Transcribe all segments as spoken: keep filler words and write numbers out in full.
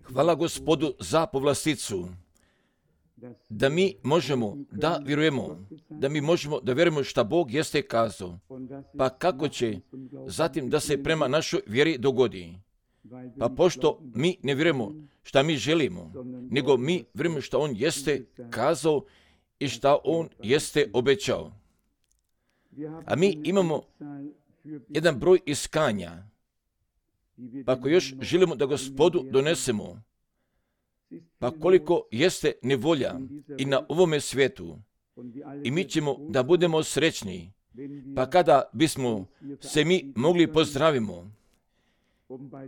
Hvala Gospodu za povlasticu, da mi možemo da vjerujemo, da mi možemo da vjerujemo šta Bog jeste kazao, pa kako će zatim da se prema našoj vjeri dogodi. Pa pošto mi ne vjerujemo šta mi želimo, nego mi vjerujemo šta On jeste kazao i šta On jeste obećao. A mi imamo jedan broj iskanja, pa ako još želimo da Gospodu donesemo, pa koliko jeste nevolja i na ovome svijetu, i mi ćemo da budemo srećni, pa kada bismo se mi mogli pozdravimo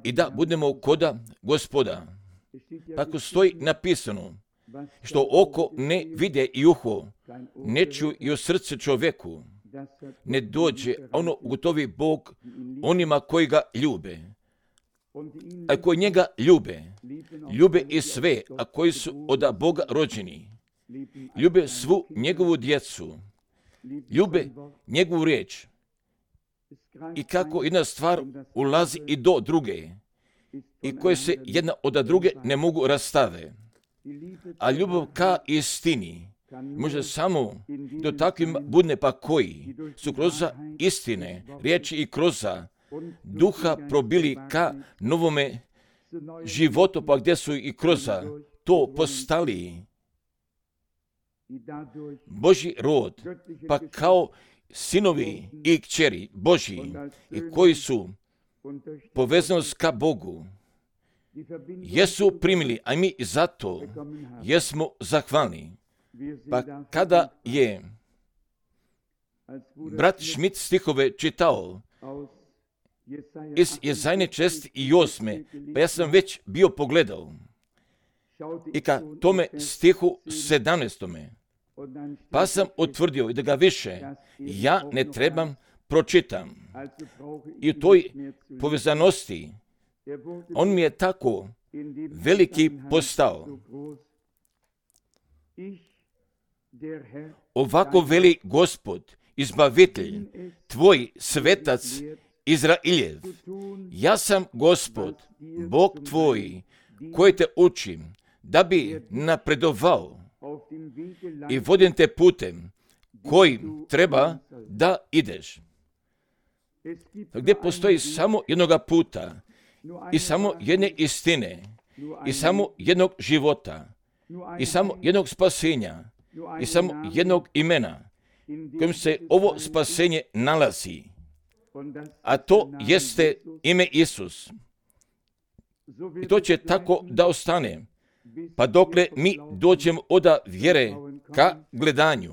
i da budemo koda Gospoda. Pa ako stoji napisano, što oko ne vide i uho, ne čuju i u srce čovjeku, ne dođe ono gotovi Bog onima koji ga ljube. A koji njega ljube, ljube i sve, a koji su od Boga rođeni, ljube svu njegovu djecu, ljube njegovu riječ. I kako jedna stvar ulazi i do druge, i koje se jedna od druge ne mogu rastave. A ljubav ka istini može samo do takvim budne, pa koji su kroz istine, riječi i kroz duha probili ka novome životu, pa gdje su i kroz to postali Božji rod, pa kao sinovi i kćeri Božji, i koji su povezanost ka Bogu, jesu primili, a mi zato jesmo zahvalni. Pa kada je brat Schmidt stihove čitao iz Jezajne čest i osme, pa ja sam već bio pogledao i ka tome stihu sedamnaestome, pa sam utvrdio i da ga više ja ne trebam pročitam. I u toj povezanosti on mi je tako veliki postao. Ovako veli Gospod, izbavitelj, tvoj svetac Izrailjev. Ja sam Gospod, Bog tvoj, koji te učim, da bi napredovao i vodim te putem kojim treba da ideš. Gdje postoji samo jednoga puta i samo jedne istine i samo jednog života i samo jednog spasenja i samo jednog imena kojim se ovo spasenje nalazi, a to jeste ime Isus. I to će tako da ostane, pa dokle mi dođemo od vjere ka gledanju.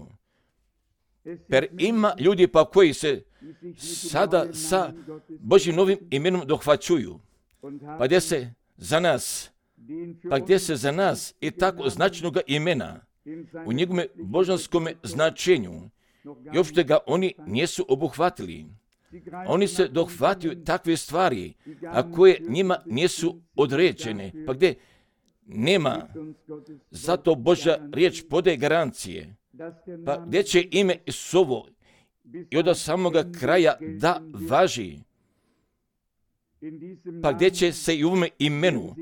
Per ima ljudi pa koji se sada sa Božjim novim imenom dohvaćuju, pa gdje se za nas, pa gdje se za nas i tako značajnog imena u njegovome božanskom značenju i uopšte ga oni nisu obuhvatili. Oni se dohvataju takve stvari, a koje njima nisu određene, pa gdje nema, zato Božja riječ podaje garancije, pa gdje će ime Isusovo i od samoga kraja da važi, pa gdje će se i u ovome imenu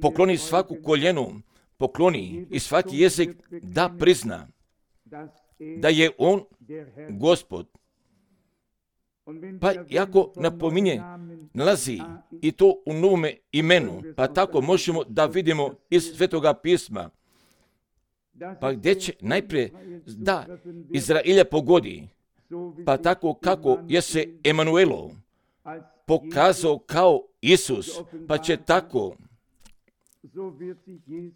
pokloni svaku koljenu, pokloni i svaki jezik da prizna da je on Gospod. Pa jako napominje, nalazi i to u novome imenu, pa tako možemo da vidimo iz Svetoga pisma, pa gdje će najprije da Izraelja pogodi, pa tako kako je se Emanuelo pokazao kao Isus, pa će tako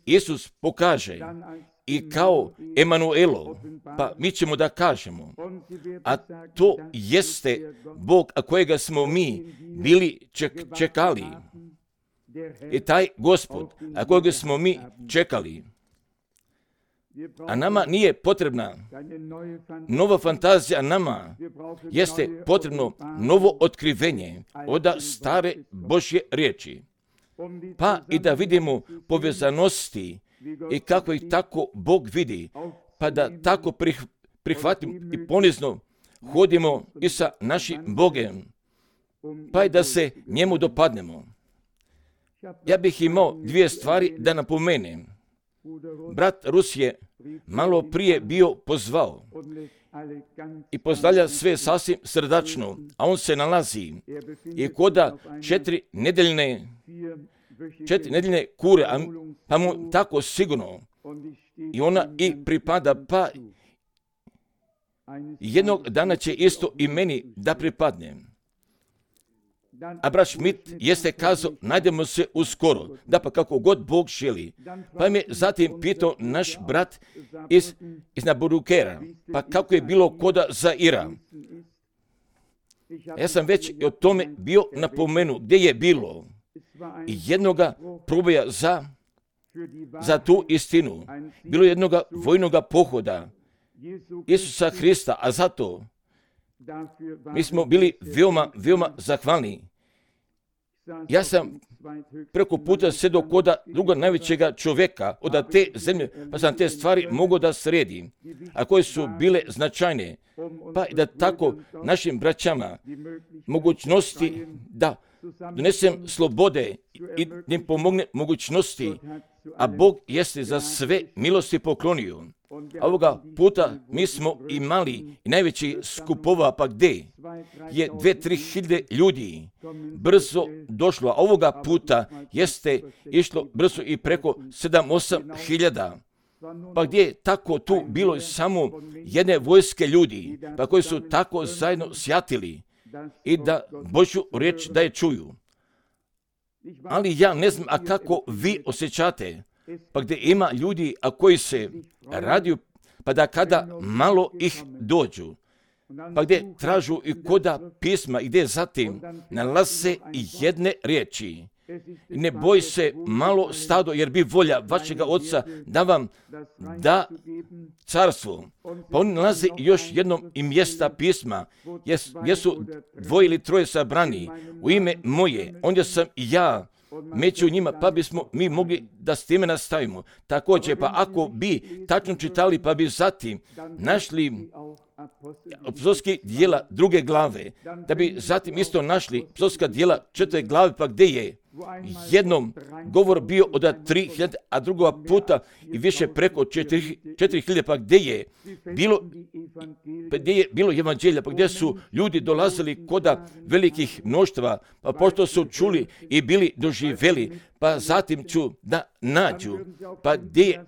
Isus pokaže i kao Emanuelo, pa mi ćemo da kažemo, a to jeste Bog, a kojega smo mi bili ček, čekali, i taj Gospod, a kojega smo mi čekali. A nama nije potrebna nova fantazija, nama jeste potrebno novo otkrivenje od stare Božje riječi. Pa i da vidimo povezanosti i kako ih tako Bog vidi, pa da tako prih, prihvatimo i ponizno hodimo i sa našim Bogem, pa i da se njemu dopadnemo. Ja bih imao dvije stvari da napomenem. Brat Rus je malo prije bio pozvao i pozdravlja sve sasvim srdačno, a on se nalazi i koda četiri nedeljne, četiri nedeljne kure, a pa mu tako sigurno i ona i pripada, pa jednog dana će isto i meni da pripadne. A brat Schmidt jeste kazao, najdemo se uskoro, da pa kako god Bog želi. Pa me zatim pitao naš brat iz, iz Naburukera, pa kako je bilo koda Zaira. Ja sam već o tome bio napomenu, gdje je bilo jednoga proboja za, za tu istinu. Bilo jednoga vojnoga pohoda Isusa Hrista, a zato mi smo bili veoma, veoma zahvalni. Ja sam preko puta sedao koda druga najvećega čovjeka od te zemlje, pa sam te stvari mogao da sredi, a koje su bile značajne, pa i da tako našim braćama mogućnosti da donesem slobode i da im pomogne mogućnosti, a Bog jeste za sve milosti poklonio. A ovoga puta mi smo imali i najveći skupova, pa gdje je dve, tri hiljade ljudi brzo došlo, a ovoga puta jeste išlo brzo i preko sedam, osam hiljada. Pa gdje je tako tu bilo samo jedne vojske ljudi, pa koji su tako zajedno sjatili i da Božju riječ da je čuju. Ali ja ne znam, a kako vi osjećate, pa gdje ima ljudi, a koji se radiju, pa da kada malo ih dođu, pa gdje tražu i koda pisma i gdje zatim nalaze jedne riječi. Ne boj se malo stado, jer bi volja vašega Oca da vam da carstvo. Pa oni nalaze još jednom i mjesta pisma, gdje su dvoje ili troje sabrani u ime moje, onda sam ja među njima, pa bismo mi mogli da s time nastavimo. Također, pa ako bi tačno čitali, pa bi zatim našli apostolska djela druge glave, da bi zatim isto našli apostolska djela četvrte glave, pa gdje je jednom govor bio od tri hiljade, a drugoga puta i više preko četiri hiljade, pa gdje je bilo, pa gdje je bilo evanđelja, pa gdje su ljudi dolazili koda velikih mnoštva, pa pošto su čuli i bili doživjeli, pa zatim ću da nađu, pa gdje je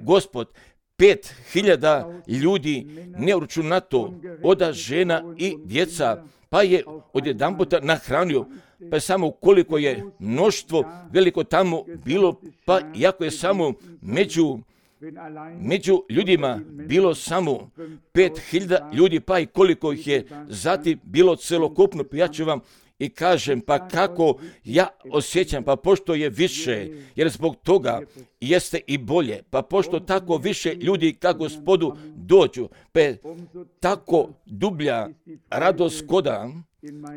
Gospod pet hiljada ljudi neuračunato oda žena i djeca, pa je odjedanputa nahranio, pa je samo koliko je mnoštvo veliko tamo bilo, pa iako je samo među, među ljudima bilo samo pet hiljada ljudi, pa i koliko ih je zatim bilo celokupno, pa ja ću vam i kažem, pa kako ja osjećam, pa pošto je više, jer zbog toga jeste i bolje, pa pošto tako više ljudi ka Gospodu dođu, pa je tako dublja radost koda,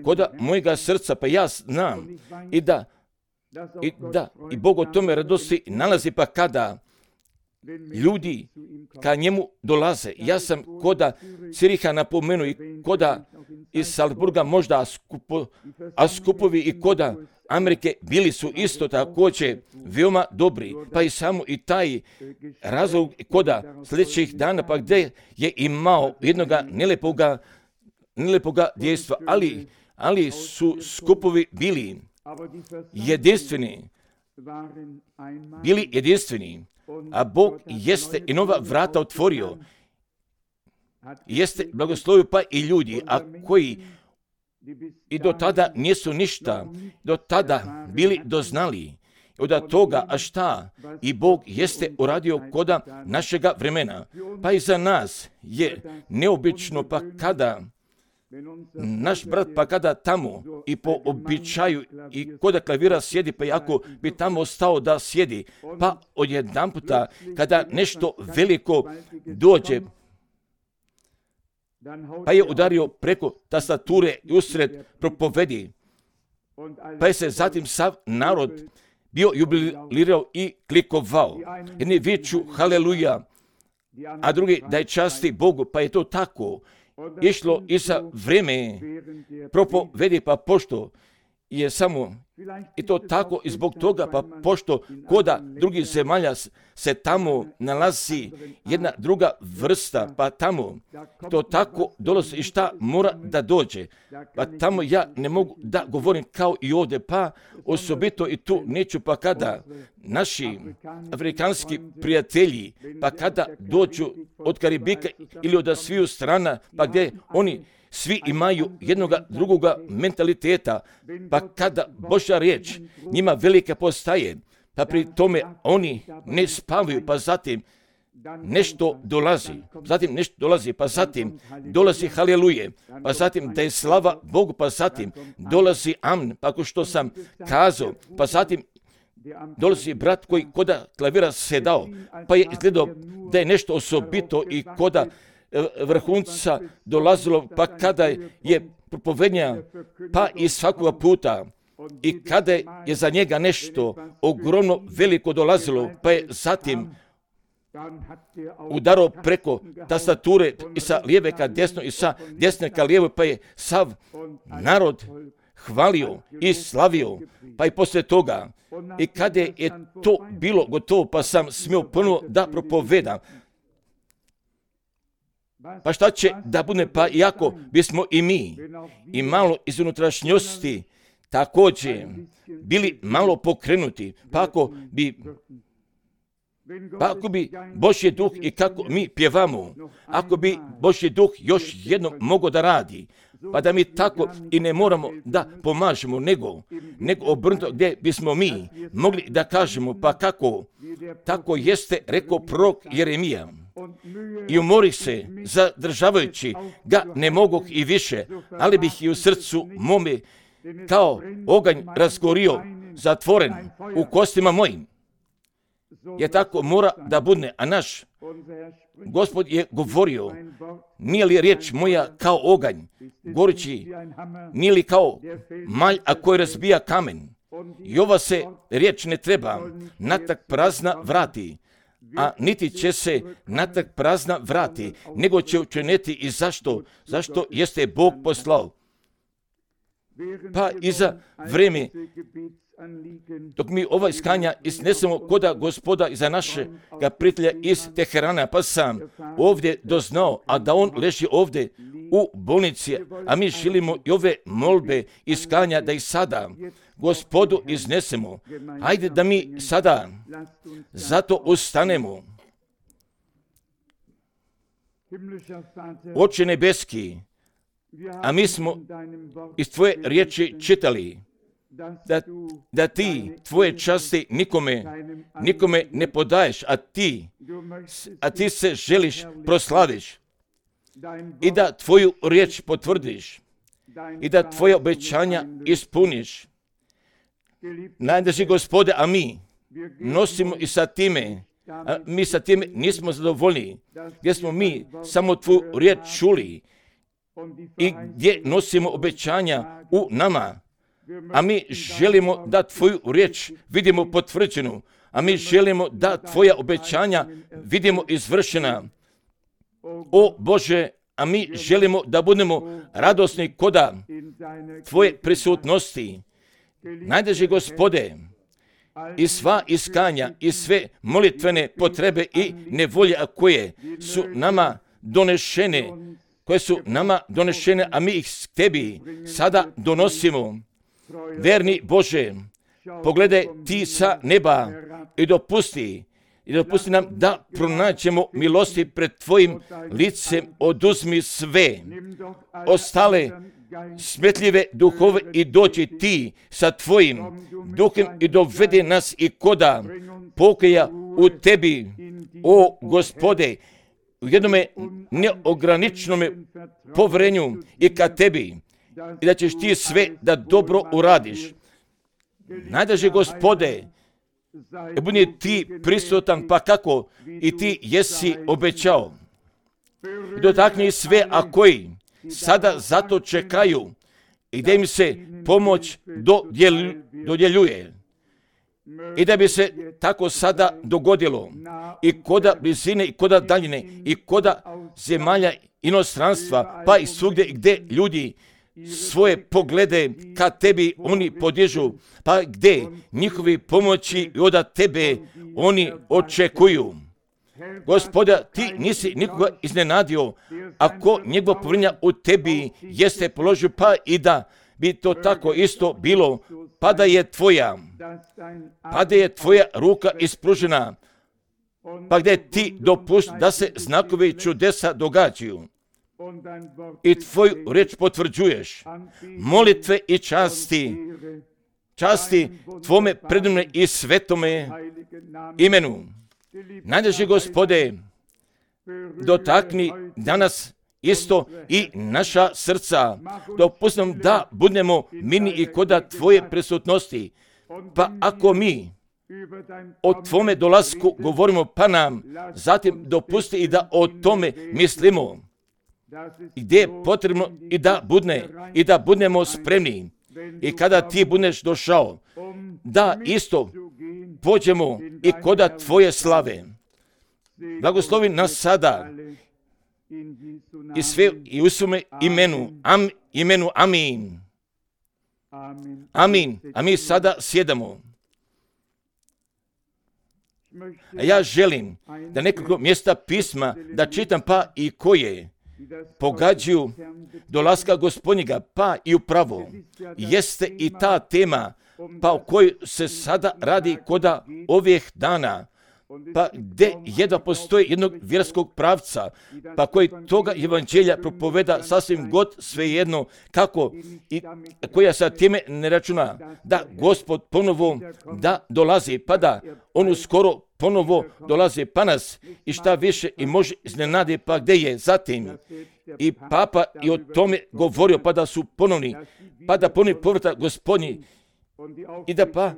koda mojega srca, pa ja znam i da, i da, i Bog o tome radosti nalazi, pa kada ljudi ka njemu dolaze. Ja sam koda Ciriha napomenuo i koda iz Salzburga možda, a, skupo, a skupovi i koda Amerike bili su isto također veoma dobri, pa i samo i taj razlog koda sljedećih dana, pa gdje je imao jednoga nelepoga, nelepoga djejstva, ali, ali su skupovi bili jedinstveni, bili jedinstveni, a Bog jeste i nova vrata otvorio, jeste blagoslovio pa i ljudi, a koji i do tada nisu ništa, do tada bili doznali od toga, a šta i Bog jeste uradio koda našega vremena. Pa i za nas je neobično, pa kada naš brat, pa kada tamo i po običaju i koda klavira sjedi, pa jako bi tamo stao da sjedi, pa odjedanputa kada nešto veliko dođe, pa je udario preko tastature i usred propovedi, pa je se zatim sav narod bio jubilirao i klikovao. Jedni viču haleluja, a drugi da je časti Bogu, pa je to tako išlo i za vreme propovedi, pa pošto je samo I to tako i zbog toga, pa pošto koda drugih zemalja se tamo nalazi jedna druga vrsta, pa tamo to tako dolazi i šta mora da dođe. Pa tamo ja ne mogu da govorim kao i ovdje, pa osobito i tu neću, pa kada naši afrikanski prijatelji, pa kada dođu od Karibika ili od sviju strana, pa gdje oni svi imaju jednoga drugoga mentaliteta, pa kada Božja riječ njima velika postaje, pa pri tome oni ne spavaju, pa zatim nešto dolazi, zatim nešto dolazi, pa zatim dolazi haleluje, pa zatim da je slava Bogu, pa zatim dolazi amen, pa ako što sam kazao, pa zatim dolazi brat koji koda klavira sedao, pa je izgledao da je nešto osobito i koda vrhunca dolazilo, pa kada je propovednja, pa i svakoga puta, i kada je za njega nešto ogromno veliko dolazilo, pa je zatim udarao preko tastature i sa lijeve ka desno i sa desne ka lijevo, pa je sav narod hvalio i slavio, pa i poslije toga, i kada je to bilo gotovo, pa sam smio ponovo da propovedam. Pa šta će da bude, pa iako bismo i mi i malo iz unutrašnjosti također bili malo pokrenuti, pa ako bi Pa ako bi Božji duh i kako mi pjevamo, ako bi Božji duh još jednom mogao da radi, pa da mi tako i ne moramo da pomažemo, nego, nego obrnuto gdje bismo mi mogli da kažemo, pa kako, tako jeste rekao prorok Jeremija. I umori se, zadržavajući ga ne mogu i više, ali bih i u srcu mome kao oganj razgorio, zatvoren u kostima mojim. Je tako mora da bude, a naš Gospod je govorio, nije li riječ moja kao oganj, gorući, nije li kao malj, a koji razbija kamen. I ova se riječ ne treba natrag prazna vrati, a niti će se natrag prazna vrati, nego će učiniti i zašto, zašto jeste Bog poslao. Pa i za vrijeme dok mi ova iskanja iznesemo koda Gospoda i za našega prijatelja iz Teherana, pa sam ovdje doznao, a da on leži ovdje u bolnici, a mi želimo i ove molbe iskanja da ih sada Gospodu iznesemo. Hajde da mi sada zato ustanemo. Oče nebeski, a mi smo iz tvoje riječi čitali Da, da ti tvoje časti nikome, nikome ne podaješ, a ti, a ti se želiš proslaviš i da tvoju riječ potvrdiš i da tvoje obećanja ispuniš. Najdraži Gospode, a mi nosimo i sa time, a mi sa time nismo zadovoljni, gdje smo mi samo tvoju riječ čuli i gdje nosimo obećanja u nama. A mi želimo da tvoju riječ vidimo potvrđenu, a mi želimo da tvoja obećanja vidimo izvršena. O Bože, a mi želimo da budemo radosni koda tvoje prisutnosti. Najdraži Gospode, i sva iskanja i sve molitvene potrebe i nevolje koje su nama donešene, koje su nama donešene, a mi ih tebi sada donosimo. Verni Bože, pogledaj ti sa neba i dopusti, i dopusti nam da pronađemo milosti pred tvojim licem, oduzmi sve ostale smetljive duhove i dođi ti sa tvojim duhem i dovedi nas i koda pokoja u tebi, o Gospode, u jednome neograničenome povjerenju i ka tebi, i da ćeš ti sve da dobro uradiš. Najdraži Gospode, budi ti prisutan, pa kako i ti jesi obećao. I dotakni sve, a koji sada zato čekaju i da im se pomoć dodjeljuje. I da bi se tako sada dogodilo i koda blizine i koda daljine i koda zemalja inostranstva, pa i svugdje gdje ljudi svoje poglede ka tebi oni podižu, pa gdje njihovi pomoći od tebe oni očekuju. Gospoda, ti nisi nikoga iznenadio, ako njegova povjerenja u tebi jeste položio, pa i da bi to tako isto bilo, pa da je tvoja, pa da je tvoja ruka ispružena, pa gdje ti dopusti da se znakovi čudesa događaju i tvoju riječ potvrđuješ, molitve i časti, časti tvome predivnome i svetome imenu. Najdraži Gospode, dotakni danas isto i naša srca, dopusti nam da budemo mirni i koda tvoje prisutnosti, pa ako mi o tvome dolasku govorimo, pa nam zatim dopusti i da o tome mislimo, gdje je potrebno i da budne, i da budemo spremni, i kada ti budeš došao, da isto pođemo i koda tvoje slave. Blagoslovi nas sada i sve i u svome imenu, am, imenu amin. Amin. A mi sada sjedamo. A ja želim da nekoliko mjesta pisma da čitam, pa i koje pogađaju dolaska Gospodnjega, pa i upravo jeste i ta tema, pa o kojoj se sada radi koda ovih dana, pa gdje jedva postoji jednog vjerskog pravca, pa koji toga evanđelja propoveda sasvim god svejedno kako i koja sa time ne računa, da Gospod ponovo da dolazi, pa da on uskoro ponovo dolazi pa nas i šta više i može iznenadi, pa gdje je zatim i papa i o tome govorio, pa da su ponovni, pa da ponovni povrata Gospodnji, i da pa,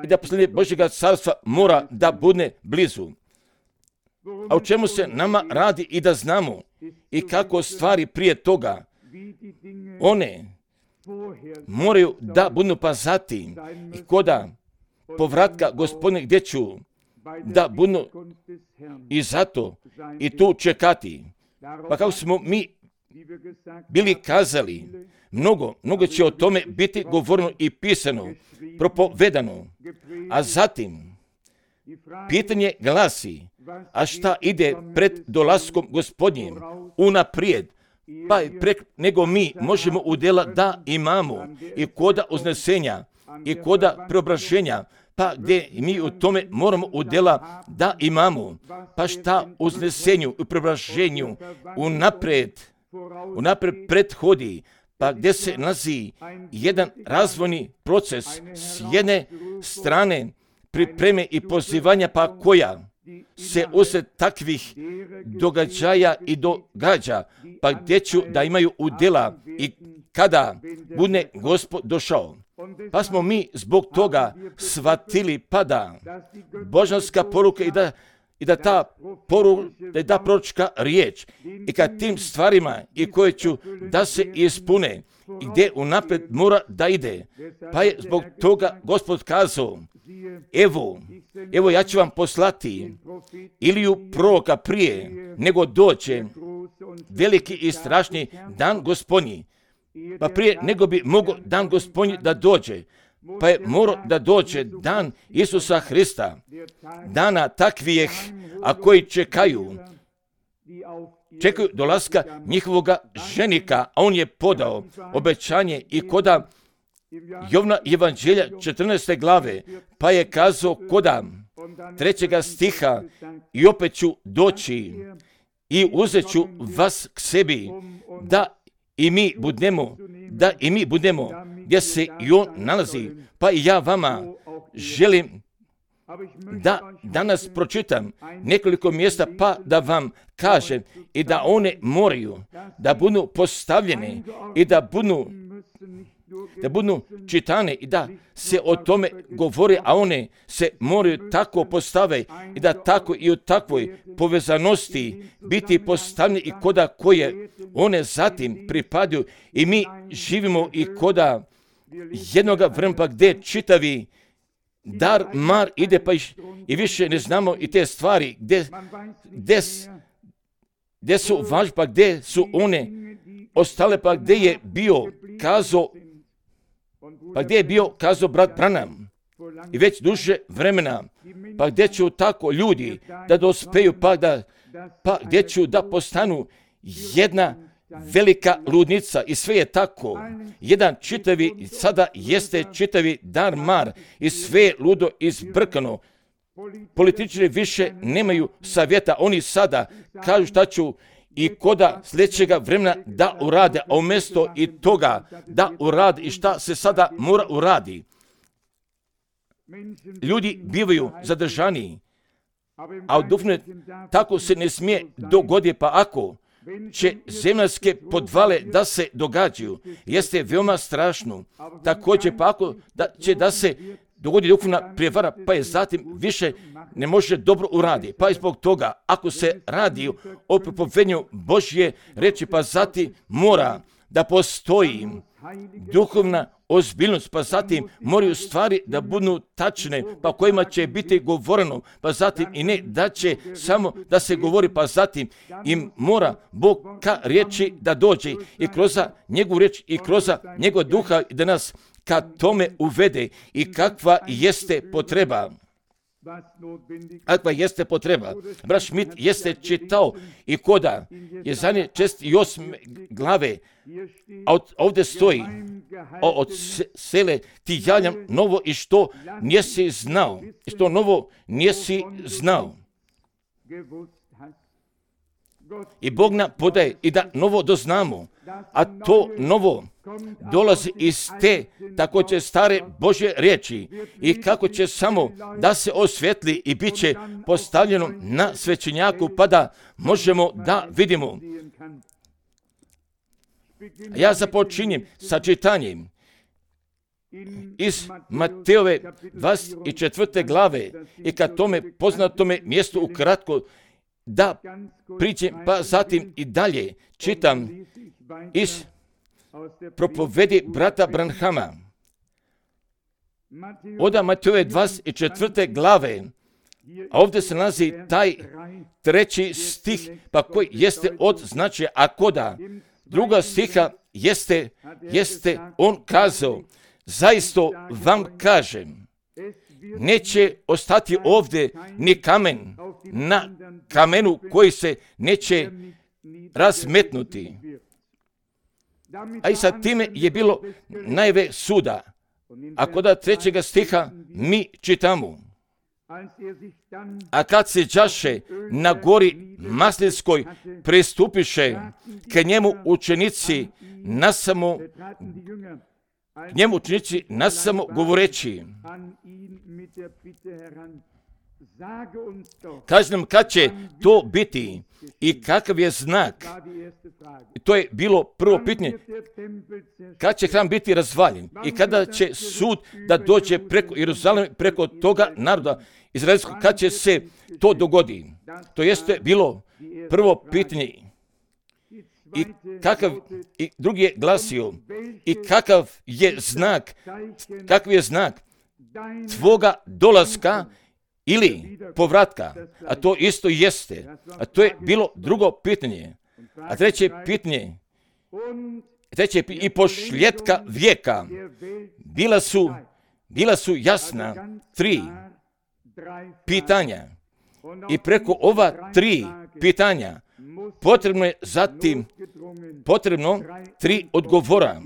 i da posljednje Božjega carstva mora da bude blizu. A u čemu se nama radi i da znamo i kako stvari prije toga, one moraju da budu pazati i koda povratka Gospodine gdje ću da budu i zato i tu čekati. Pa kako smo mi bili kazali, mnogo, mnogo će o tome biti govoreno i pisano, propovedano. A zatim, pitanje glasi, a šta ide pred dolaskom Gospodnjim unaprijed, pa i prek nego mi možemo udjela da imamo i koda uznesenja i koda preobraženja, pa gdje mi u tome moramo udjela da imamo, pa šta uznesenju i preobraženju unaprijed, unaprijed prethodi, pa gdje se nalazi jedan razvojni proces s jedne strane pripreme i pozivanja, pa koja se usred takvih događaja i događa, pa gdje ću da imaju udjela i kada bude Gospod došao. Pa smo mi zbog toga shvatili, pa da božanska poruka i da i da ta poruka, da je ta proročka riječ i kad tim stvarima i koje ću da se ispune i gdje unaprijed mora da ide. Pa je zbog toga Gospod kazao, evo, evo ja ću vam poslati Iliju proroka prije nego doće veliki i strašni dan Gospodnji. Pa prije nego bi mogao dan Gospodnji da dođe, pa je morao da dođe dan Isusa Hrista, dana takvih, a koji čekaju, čekaju dolaska njihovoga ženika, a on je podao obećanje i koda Jovna evanđelja četrnaeste glave, pa je kazao koda trećega stiha, i opet ću doći i uzet ću vas k sebi, da i mi budemo, da i mi budemo gdje se i on nalazi, pa i ja vama želim da danas pročitam nekoliko mjesta, pa da vam kažem i da one moraju da budu postavljene i da budu da budu čitane i da se o tome govore, a one se moraju tako postave i da tako i u takvoj povezanosti biti postavljene i koda koje one zatim pripadaju i mi živimo i koda jednoga vremena gdje čitavi dar mar ide pa i više ne znamo i te stvari gdje, gdje, gdje su važne, pa gdje su one ostale, pa gdje je bio kazao, pa gdje je bio kazao brat Branham, i već duže vremena, pa gdje će tako ljudi da dospeju, pa, da, pa gdje će da postanu jedna velika ludnica, i sve je tako. Jedan čitavi, sada jeste čitavi dar mar, i sve je ludo izbrkano. Političari više nemaju savjeta, oni sada kažu šta ću i koda sljedećega vremena da urade, a umjesto i toga da urade i šta se sada mora uradi. Ljudi bivaju zadržani, a u duhovne tako se ne smije dogoditi, pa ako će zemaljske podvale da se događaju, jeste veoma strašno. Također, pa ako da će da se dogodi duhovna prijevara, pa je zatim više ne može dobro uradi. Pa i zbog toga, ako se radi o propovednju Božje reči, pa zatim mora da postoji duhovna ozbiljnost, pa zatim moraju stvari da budu tačne, pa kojima će biti govoreno, pa zatim i ne da će samo da se govori, pa zatim im mora Bog ka riječi da dođe i kroz njegovu riječ i kroz njegov duha da nas ka tome uvede i kakva jeste potreba. Kakva jeste potreba. Brat Schmidt jeste čitao i koda je zadnje čest i osme glave, a ovdje stoji od sele ti javljam novo i što nisi znao. I što novo nisi znao. I Bog nam podaje i da novo doznamo, a to novo dolazi iz te također stare Božje riječi i kako će samo da se osvjetli i bit će postavljeno na svećenjaku, pa da možemo da vidimo. Ja započinjem sa čitanjem iz Mateove dvadeset četvrte glave i ka tome poznatome mjestu ukratko da priđem, pa zatim i dalje čitam iz propovedi brata Branhama. Oda Mateove dvadeset četvrte glave, a ovdje se nalazi taj treći stih, pa koji jeste od značaja, a koda druga stiha jeste, jeste on kazao, zaista vam kažem, neće ostati ovdje ni kamen na kamenu koji se neće razmetnuti. A i sa time je bilo najve suda. A kod trećega stiha mi čitamo. A kad se đaše na gori Maslinskoj, pristupiše k njemu učenici nasamo, k njemu učenici nasamo govoreći. Kaži nam kad će to biti i kakav je znak. To je bilo prvo pitanje. Kad će hram biti razvaljen i kada će sud da dođe preko Jeruzalema, preko toga naroda izraelskog, kad će se to dogodi. To jeste bilo prvo pitanje. I kakav, i drugi je glasio, i kakav je znak, kakav je znak tvoga dolaska ili povratka, a to isto jeste. A to je bilo drugo pitanje. A treće pitanje, treće pitanje, i pošljetka vijeka, bila su, bila su jasna tri pitanja. I preko ova tri pitanja potrebno je zatim, potrebno tri odgovora.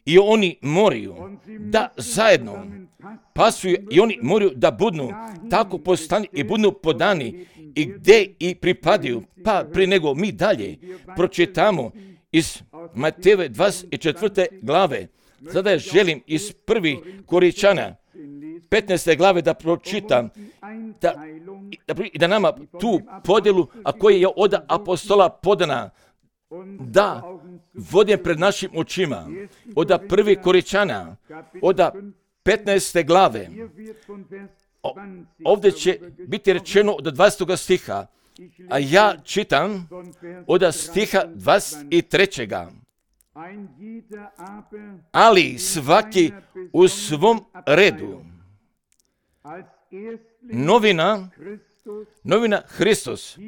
I oni moraju da zajedno pasuju i oni moraju da budu tako postani i budu podani i gdje i pripadaju. Pa prije nego mi dalje pročitamo iz Matejeve dvadeset četvrte glave. Sada želim iz prvi Koričana petnaeste glave da pročitam da, da, da nama tu podjelu, a koji je od apostola podana, da vodim pred našim očima. Od prvi Koričana, od petnaeste glave. O, ovdje će biti rečeno od dvadesetog stiha, a ja čitam od stiha dvadeset trećega. Ali svaki u svom redu. Novina, novina Hristos,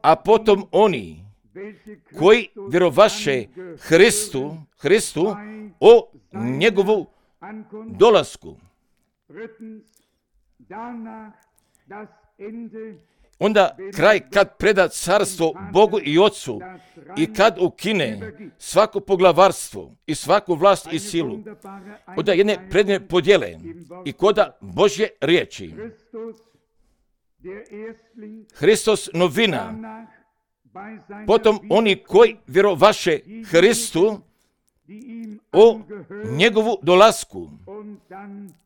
a potom oni koji vjerovaše Hristu, Hristu o njegovu dolasku. Onda kraj kad preda carstvo Bogu i Ocu i kad ukine svako poglavarstvo i svaku vlast i silu, onda jedne predne podjele i koda Božje riječi. Hristos novina, potom oni koji vjerovaše Hristu o njegovu dolasku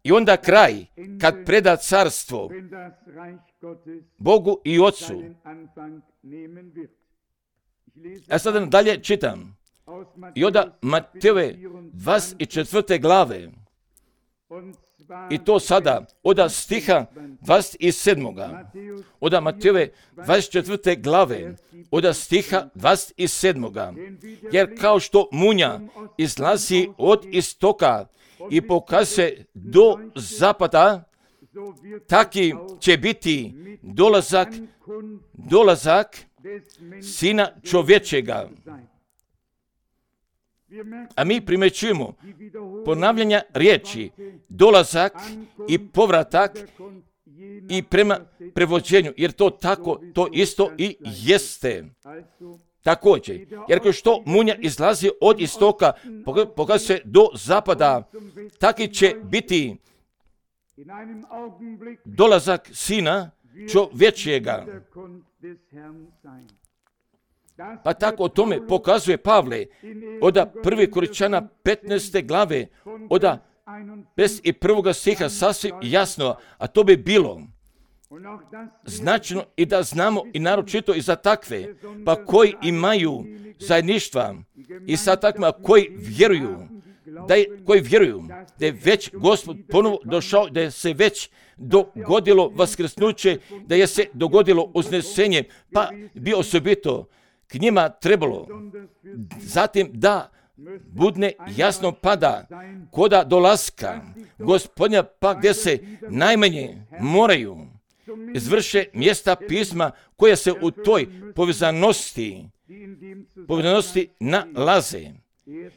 i onda kraj kad preda carstvo Bogu i Ocu. Ja sada dalje čitam i onda Matejove dvadeset četvrte glave i to sada od stiha dvadeset sedmoga. Od Matejove dvadeset četvrte glave od stiha dvadeset sedmoga. Jer kao što munja izlazi od istoka i pokazuje do zapada, taki će biti dolazak, dolazak Sina čovječega. A mi primećujemo ponavljanja riječi, dolazak i povratak i prema prevođenju, jer to tako, to isto i jeste. Također, jer kao što munja izlazi od istoka, pokazuje do zapada, taki će biti dolazak Sina čovječega. Pa tako o tome pokazuje Pavle od prve Korinčana petnaeste glave, od pedeset prvog stiha sasvim jasno, a to bi bilo značajno i da znamo i naročito i za takve, pa koji imaju zajedništva i sa takvima koji vjeruju, da je, koji vjeruju da je već Gospod ponovo došao, da je se već dogodilo vaskrsnuće, da je se dogodilo uznesenje, pa bi osobito k njima trebalo zatim da budne jasno pada koda dolaska Gospodnja, pa gdje se najmanje moraju izvrše mjesta pisma koja se u toj povezanosti povezanosti nalaze.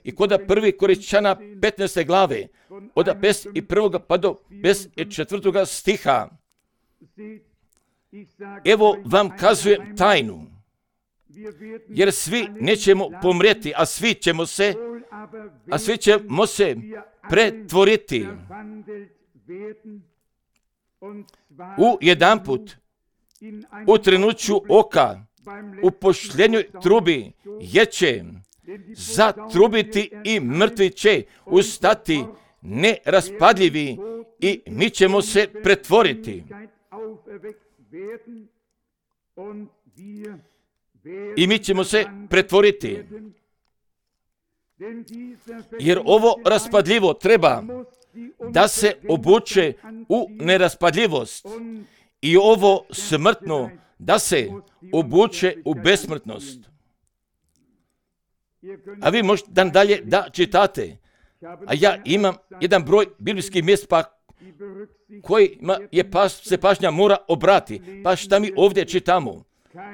I koda prvi Korinčana petnaeste glave od pedeset prvog pa do pedeset četvrtog stiha, evo vam kazujem tajnu, jer svi nećemo pomrijeti, a svi ćemo se, a svi ćemo se pretvoriti u jedanput, u trenuću oka, u pošljenjoj trubi, jer će zatrubiti i mrtvi će ustati neraspadljivi i mi ćemo se pretvoriti. I mi ćemo se pretvoriti. Jer ovo raspadljivo treba da se obuče u neraspadljivost i ovo smrtno da se obuče u besmrtnost. A vi možete dan dalje da čitate. A ja imam jedan broj biblijskih mjesta pa kojima je pas, se pažnja mora obrati. Pa šta mi ovdje čitamo?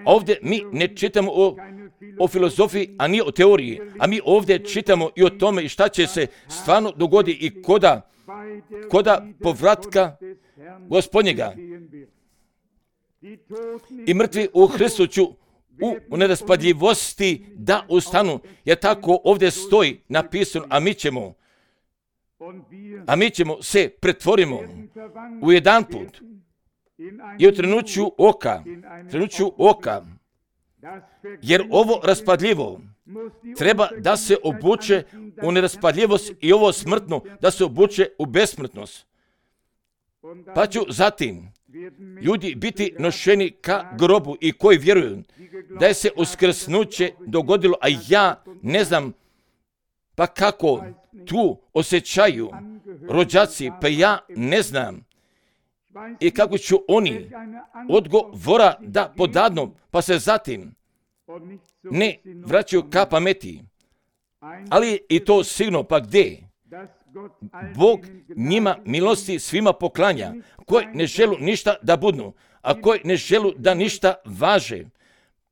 Ovdje mi ne čitamo o, o filozofiji, a nije o teoriji. A mi ovdje čitamo i o tome i šta će se stvarno dogoditi i koda, koda povratka Gospodnjega. I mrtvi u Hristu ću u neraspadljivosti da ustanu, jer tako ovdje stoji napisano, a mi ćemo, a mi ćemo se pretvorimo u jedan put i u trenuću oka, trenuću oka, jer ovo raspadljivo treba da se obuče u neraspadljivost i ovo smrtno da se obuče u besmrtnost. Pa ću zatim ljudi biti nošeni ka grobu i koji vjeruju da je se uskrsnuće dogodilo, a ja ne znam pa kako tu osjećaju rođaci, pa ja ne znam i kako ću oni odgovora da podadnu, pa se zatim ne vraćaju ka pameti. Ali i to sigurno, pa gdje? Bog njima milosti svima poklanja, koji ne želu ništa da budnu, a koji ne želu da ništa važe.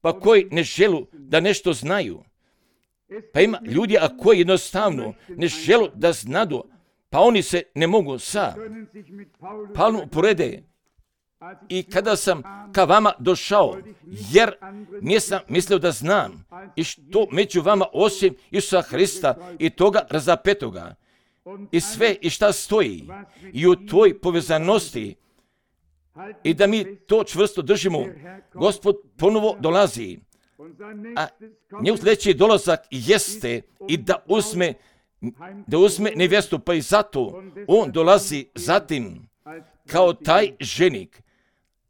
pa koji ne želu da nešto znaju. Pa ima ljudi, a koji jednostavno ne želu da znadu, pa oni se ne mogu sa Pavlom uporede. I kada sam ka vama došao, jer nisam mislio da znam i što među vama osim Isusa Hrista i toga razapetoga i sve i šta stoji i u toj povezanosti i da mi to čvrsto držimo, Gospod ponovo dolazi, a njegov sljedeći dolazak jeste i da uzme, da uzme nevjestu, pa i zato on dolazi zatim kao taj ženik.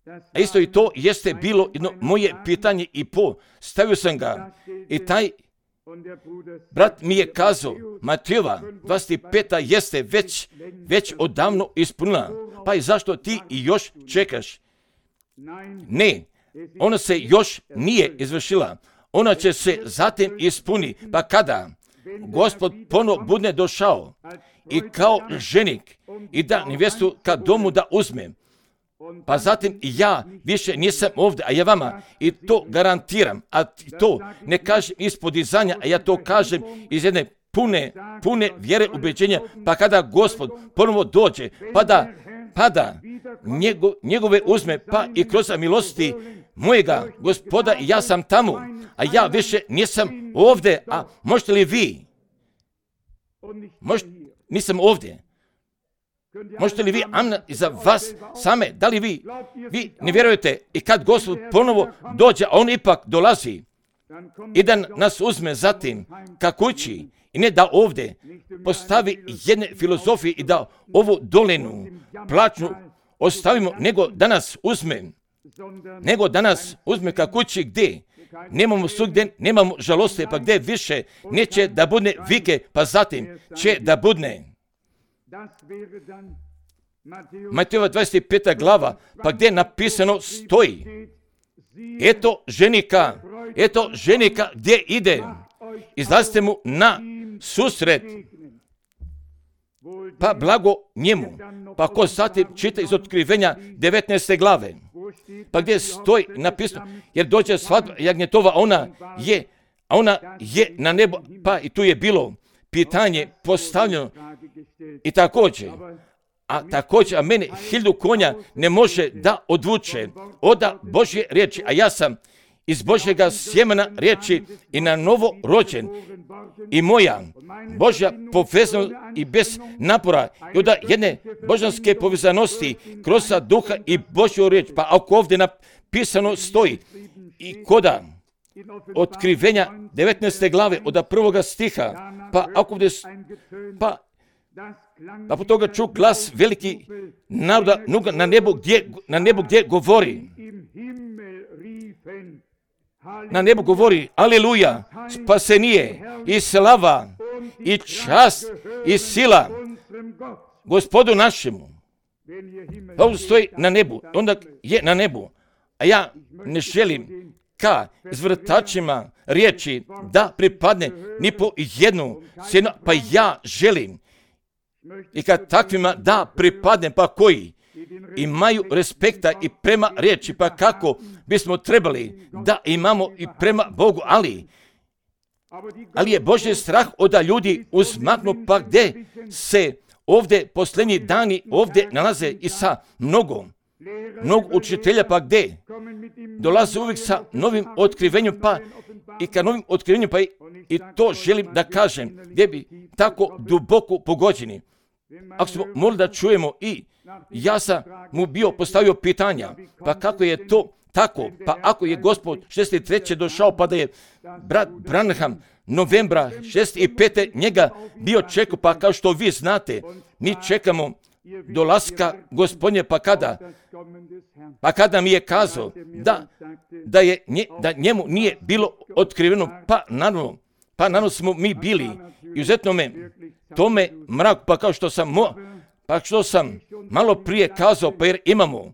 A isto i to jeste bilo jedno moje pitanje i po, stavio sam ga i taj brat mi je kazao, Matejova dvadeset peta jeste već, već odavno ispunila, pa i zašto ti i još čekaš? Ne, ona se još nije izvršila, ona će se zatim ispuni, pa kada Gospod ponovo bude došao i kao ženik i da nevjestu ka domu da uzme, pa zatim ja više nisam ovdje, a ja vama i to garantiram, a to ne kažem iz podizanja, a ja to kažem iz jedne pune, pune vjere ubeđenja, pa kada Gospod ponovo dođe, pa da, pa da njego, njegove uzme, pa i kroz milosti mojega Gospoda, ja sam tamo, a ja više nisam ovdje, a možete li vi? Možete, nisam ovdje. Možete li vi, amen, za vas same, da li vi, vi ne vjerujete i kad Gospod ponovo dođe, a on ipak dolazi i da nas uzme zatim ka kući i ne da ovdje postavi jedne filozofije i da ovu dolinu plaćnu ostavimo, nego da nas uzme, nego da nas uzme ka kući gdje nemamo svugdje, nemamo žaloste, pa gdje više neće da budne vike, pa zatim će da budne Matejova dvadeset peta glava, pa gdje napisano stoji, eto ženika, eto ženika gdje ide, izlazite mu na susret, pa blago njemu. Pa ko zatim čita iz Otkrivenja devetnaeste glave, pa gdje stoji napisano, jer dođe svadba jagnjetova, ona je, a ona je na nebo, pa i tu je bilo pitanje postavljeno i također, a također, a mene hiljadu konja ne može da odvuče od Božje riječi, a ja sam iz Božjega sjemena riječi i na novo rođen i moja Božja povezanost i bez napora i od jedne božanske povezanosti kroz duha i Božju riječ, pa ako ovdje napisano stoji i koda Otkrivenja devetnaeste glave od prvoga stiha, pa ako ovdje, pa pa po toga ču glas veliki naroda na nebu gdje, na nebu gdje govori, na nebu govori, aleluja, spasenije i slava i čast i sila Gospodu našemu. Pa ovdje stoji na nebu, onda je na nebu, a ja ne želim ka izvrtačima riječi da pripadne ni po jednu cijenu, pa ja želim i kad takvima da pripadne, pa koji imaju respekta i prema riječi, pa kako bismo trebali da imamo i prema Bogu, ali ali je Božji strah od ljudi uzmaknu, pa gdje se ovdje posljednji dani ovdje nalaze i sa mnogo, mnogo učitelja, pa gdje dolaze uvijek sa novim otkrivenjem, pa i ka novim otkrivenjem, pa i, i to želim da kažem, gdje bi tako duboko pogođeni. Ako smo morali da čujemo i ja sam mu bio postavio pitanja, pa kako je to tako, pa ako je Gospod šezdeset treće došao, pa da je brat Branham novembra šezdeset pete njega bio čekao, pa kao što vi znate, mi čekamo dolaska Gospodnje, pa kada, pa kada mi je kazao da, da, je, nje, da njemu nije bilo otkriveno, pa naravno, pa naravno smo mi bili, izuzetno me, tome mrak, pa kao što sam, mo, pa što sam malo prije kazao, pa jer imamo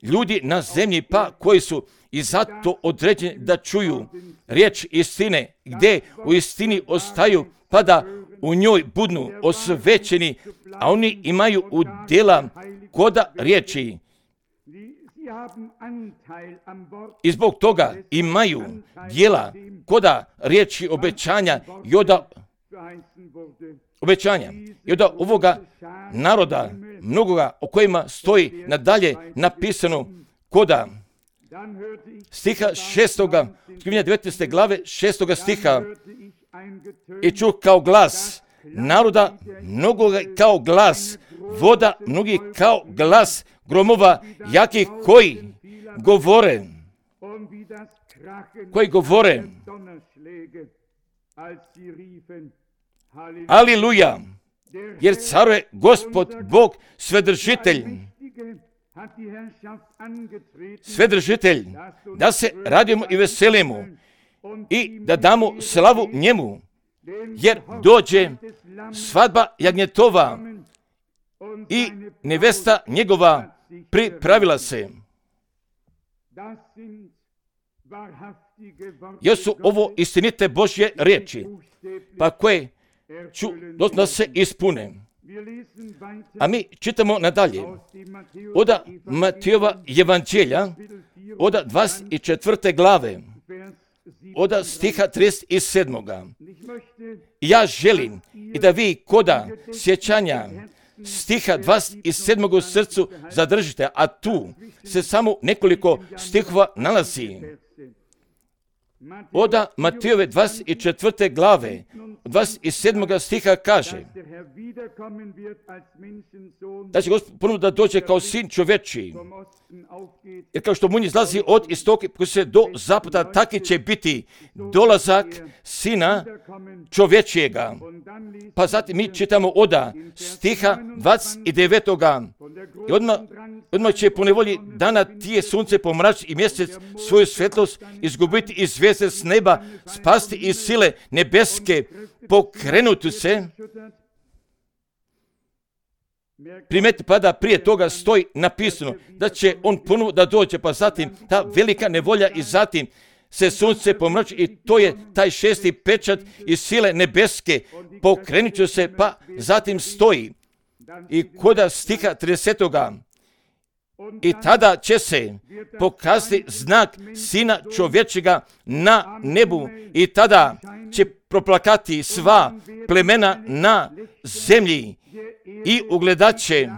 ljudi na zemlji, pa koji su i zato određeni da čuju riječ istine, gdje u istini ostaju, pa da u njoj budnu osvećeni, a oni imaju udjela koda riječi I zbog toga imaju dijela koda riječi obećanja i oda obećanja i oda ovoga naroda mnogoga o kojima stoji nadalje napisano koda stiha šestoga, devetnaeste glave šestoga stiha, i čuh kao glas naroda mnogoga kao glas voda mnogih kao glas gromova jakih koji govore koji govore Aliluja, jer caruje Gospod Bog Svedržitelj, Svedržitelj, da se radimo i veselimo i da damo slavu njemu, jer dođe svadba jagnjetova i nevesta njegova pripravila se. Jer su ovo istinite Božje riječi, pa koje ću da se ispune. A mi čitamo nadalje od Matejova evanđelja, od dvadeset četvrte glave, od stiha trideset sedam. Ja želim i da vi koda sjećanja stiha dvadeset sedam u srcu zadržite, a tu se samo nekoliko stihova nalazi. Od Matejove dvadeset četvrte glave, dvadeset sedam stiha kaže da će Gospod ponovno da dođe kao sin čovječiji. Jer kao što munj izlazi od istoka koji se do zapada, taki će biti dolazak sina čovječijega. Pa zatim mi čitamo od stiha dvadeset devetoga. I odmah, odmah će po nevolji dana tije sunce pomračiti i mjesec svoju svjetlost izgubiti i zvijezde s neba spasti iz sile nebeske, pokrenuti se. Primeti, pa da prije toga stoji napisano da će on ponovo da dođe, pa zatim ta velika nevolja i zatim se sunce pomrači i to je taj šesti pečat iz sile nebeske, pokrenut će se, pa zatim stoji. I koda stiha tridesetoga. I tada će se pokazati znak sina čovječega na nebu i tada će proplakati sva plemena na zemlji i ugledat će,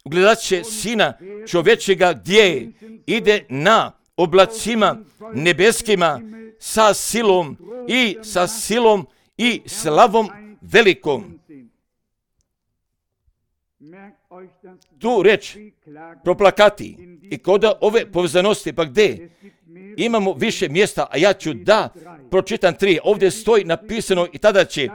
ugledat će sina čovječega gdje ide na oblacima nebeskima sa silom i sa silom i slavom velikom. Tu reč proplakati i kod ove povezanosti, pa gdje imamo više mjesta, a ja ću da pročitam tri. Ovdje stoji napisano i tada će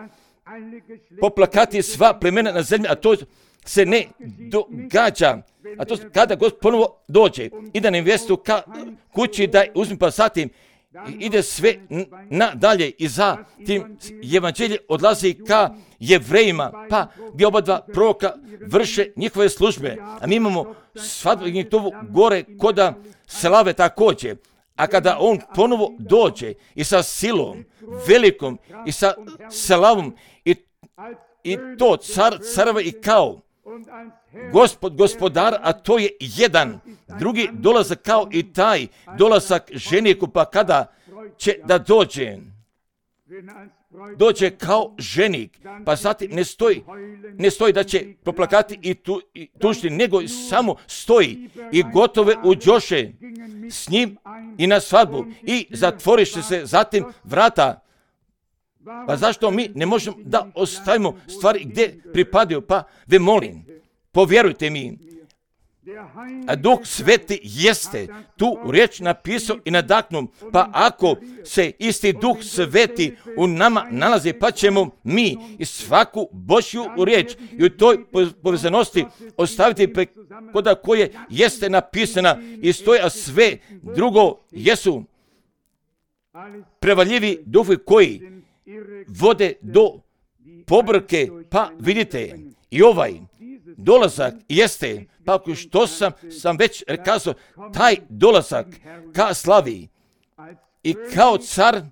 poplakati sva plemena na zemlji, a to se ne događa. A to kada Gospod ponovo dođe i da nevjestu ka kući da uzme, pa zatim ide sve nadalje i za tim evanđelje odlazi ka Jevrejima, pa gdje oba dva proroka vrše njihove službe. A mi imamo svadbu jagnjetovu gore koda slave također. A kada on ponovo dođe i sa silom velikom i sa slavom i, i to car careva i kao Gospod gospodar, a to je jedan drugi dolazak kao i taj dolazak ženiku, pa kada će da dođe, dođe kao ženik, pa zatim ne stoji, ne stoji da će proplakati i, tu, i tužiti, nego samo stoji i gotove uđoše s njim i na svadbu i zatvoriše se zatim vrata. Pa zašto mi ne možemo da ostavimo stvari gdje pripadaju? Pa ve molim, povjerujte mi, a Duh Sveti jeste tu riječ napisao i nadaknuo, pa ako se isti Duh Sveti u nama nalazi, pa ćemo mi i svaku Božju riječ i u toj povezanosti ostaviti koda koje jeste napisana i stoji, a sve drugo jesu prevaljivi duhovi koji vode do pobrke. Pa vidite, i ovaj dolazak jeste, pa ako što sam, sam već rekao, taj dolazak ka slavi i kao car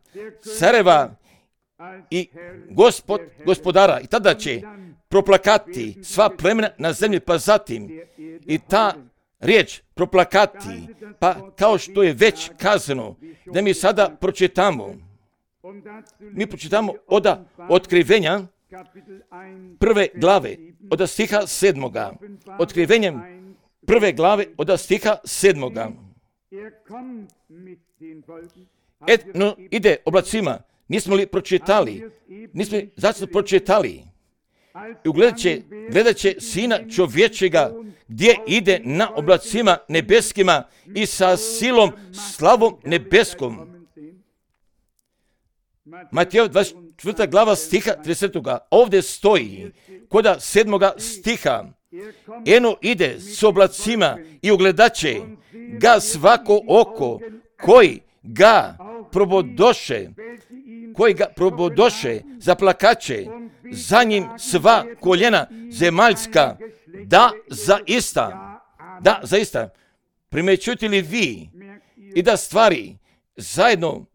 careva i gospod gospodara, i tada će proplakati sva plemena na zemlji, pa zatim i ta riječ proplakati, pa kao što je već kazano, da mi sada pročitamo. Mi pročitamo od Otkrivenja prve glave, od stiha sedmoga. Otkrivenjem prve glave, od stiha sedmoga. Etno ide oblacima. Nismo li pročitali? Nismo li zašto pročitali? I ugledat će, gledat će Sina čovječega gdje ide na oblacima nebeskima i sa silom, slavom nebeskom. Mateo dvadeset četvrta glava stiha tridesetoga. Ovdje stoji koda sedmoga stiha. Eno ide s oblacima i ugledat će ga svako oko koji ga probodoše, koji ga probodoše, zaplakaće, za njim sva koljena zemaljska, da zaista, da zaista, primećujete li vi i da stvari zajedno,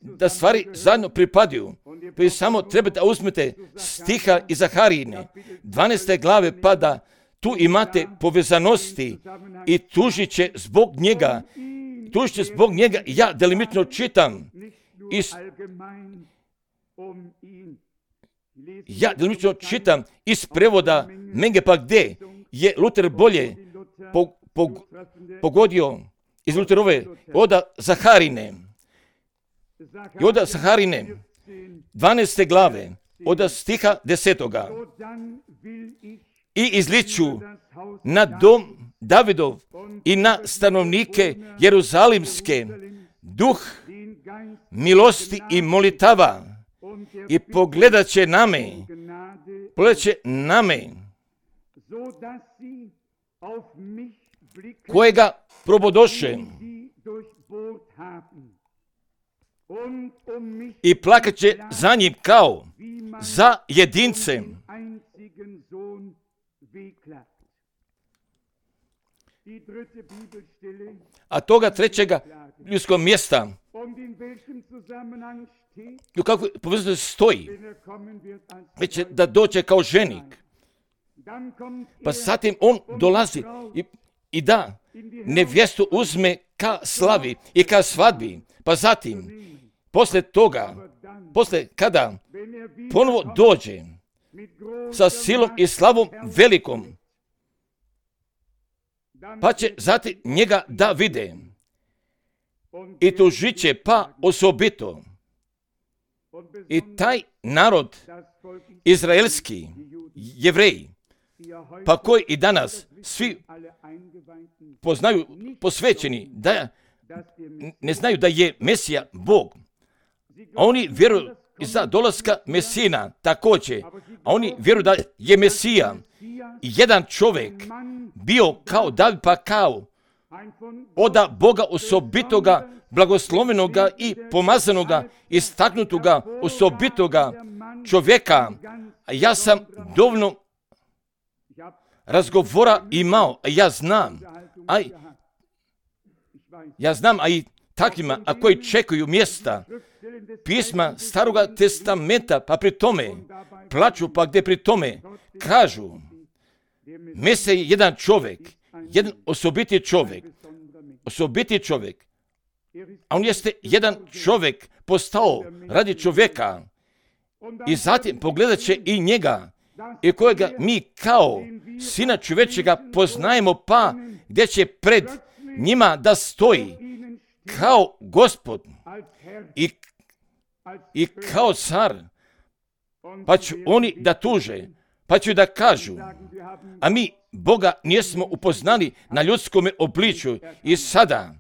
da stvari zajedno pripadaju, pa samo treba da uzmete stiha iz Zaharijine, dvanaeste glave, pa da tu imate povezanosti i tužit će zbog njega, tužit će zbog njega, ja delimično čitam, iz, ja delimično čitam iz prevoda Menge, pa gdje je Luter bolje po, po, pogodio iz Luterove od Zaharine. I od Zaharine, dvanaeste glave, od stiha desetoga. I izliču na dom Davidov i na stanovnike Jeruzalimske duh milosti i molitava i pogledat će na me, pogledat će na me, kojega probodoše i plakat će za njim kao za jedincem. A toga trećega ljudskog mjesta, u kakvoj povezanosti stoji, već da dođe kao ženik. Pa zatim on dolazi i, i da nevjestu uzme ka slavi i ka svadbi. Pa zatim, posle toga, posle kada ponovo dođe sa silom i slavom velikom, pa će zatim njega da vide i tužit će pa osobito. I taj narod izraelski, Jevreji, pa koji i danas svi poznaju, posvećeni, da ne znaju da je Mesija Bog, a oni vjeruju za dolaska Mesina također, a oni vjeruju da je Mesija jedan čovjek bio kao David, pa kao oda Boga osobitoga, blagoslovenoga i pomazanoga, istaknutoga, osobitoga čovjeka. A ja sam dovoljno razgovora imao, a ja znam, a ja znam, a i takvima, a koji čekaju mjesta pisma Staroga testamenta, pa pri tome plaču, pa gdje pri tome kažu, Mesija je jedan čovjek, jedan osobiti čovjek, osobiti čovjek, a on jeste jedan čovjek postao radi čovjeka i zatim pogledat će i njega i kojega mi kao Sina čovječega poznajemo, pa gdje će pred njima da stoji kao Gospod i, i kao car, pa će oni da tuže, pa će da kažu, a mi Boga nismo upoznali na ljudskom obličju i sada,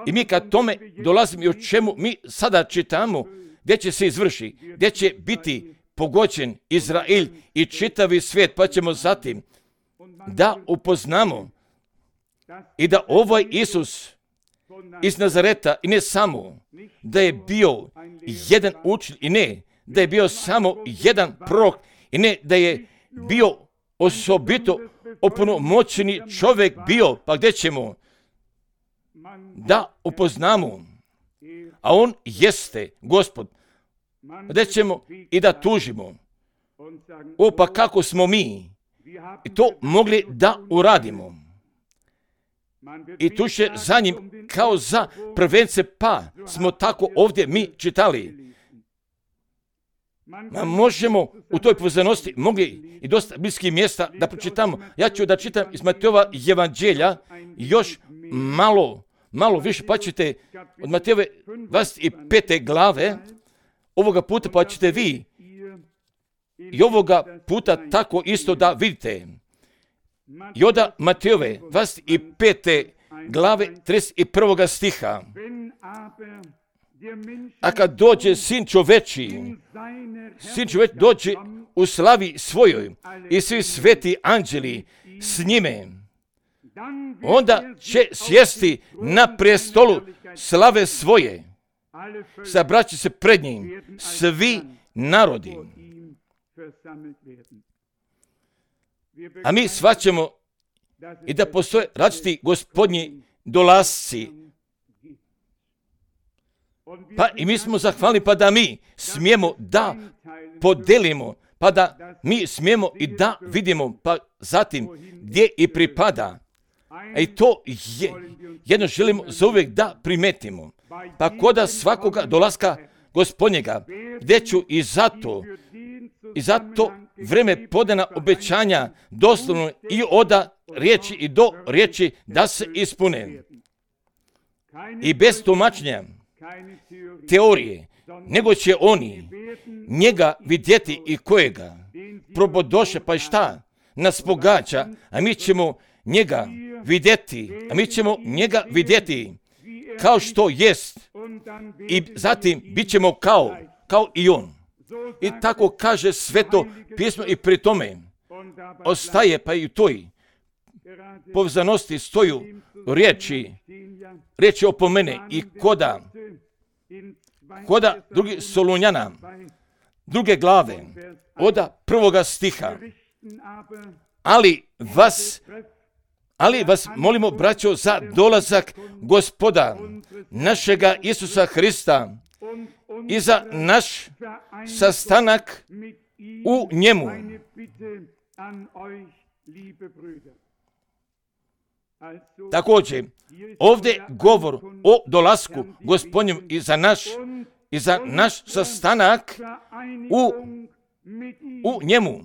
i mi kad tome dolazimo i o čemu mi sada čitamo, gdje će se izvrši, gdje će biti pogođen Izrael i čitavi svijet, pa ćemo zatim da upoznamo i da ovaj Isus iz Nazareta, i ne samo da je bio jedan učitelj, i ne da je bio samo jedan prorok, i ne da je bio osobito opunomoćeni čovjek bio, pa gdje ćemo da upoznamo, a on jeste Gospod, gdje ćemo i da tužimo. O, pa kako smo mi i to mogli da uradimo? i tu će za njim kao za prvence, pa smo tako ovdje mi čitali. Ma možemo u toj povezanosti mogli i dosta bliskih mjesta da pročitamo. Ja ću da čitam iz Matejova evanđelja još malo, malo više, pa ćete od Matejove dvadeset pete glave ovoga puta, pa ćete vi i ovoga puta tako isto da vidite. I onda Matejove dvadeset pete glave trideset prvog stiha. A kad dođe sin čoveči, sin čoveć dođe u slavi svojoj i svi sveti anđeli s njime, onda će sjesti na prestolu slave svoje. Sabraće se pred njim svi narodi. A mi shvaćamo i da postoje različiti gospodnji dolasci. Pa i mi smo zahvalni, pa da mi smijemo da podelimo, pa da mi smijemo i da vidimo, pa zatim gdje i pripada. I to je, jedno želimo zauvijek da primetimo. Pa koda svakoga dolaska gospodnjega, gdje ću i zato, i zato vreme podana obećanja doslovno i oda riječi i do riječi da se ispune. I bez tumačenja teorije, nego će oni njega vidjeti i kojega probodoše, pa i šta nas pogađa, a mi ćemo njega vidjeti, a mi ćemo njega vidjeti kao što jest i zatim bit ćemo kao, kao i on. I tako kaže Sveto pismo i pri tome ostaje pa i u toj povezanosti stoju riječi, riječi opomene i koda, koda drugi Solunjana, druge glave, oda prvoga stiha. Ali vas, ali vas molimo, braćo, za dolazak Gospoda našega Isusa Hrista i za naš sastanak u njemu. Također, ovdje govor o dolasku Gospodnjem i za naš, i za naš sastanak u, u njemu.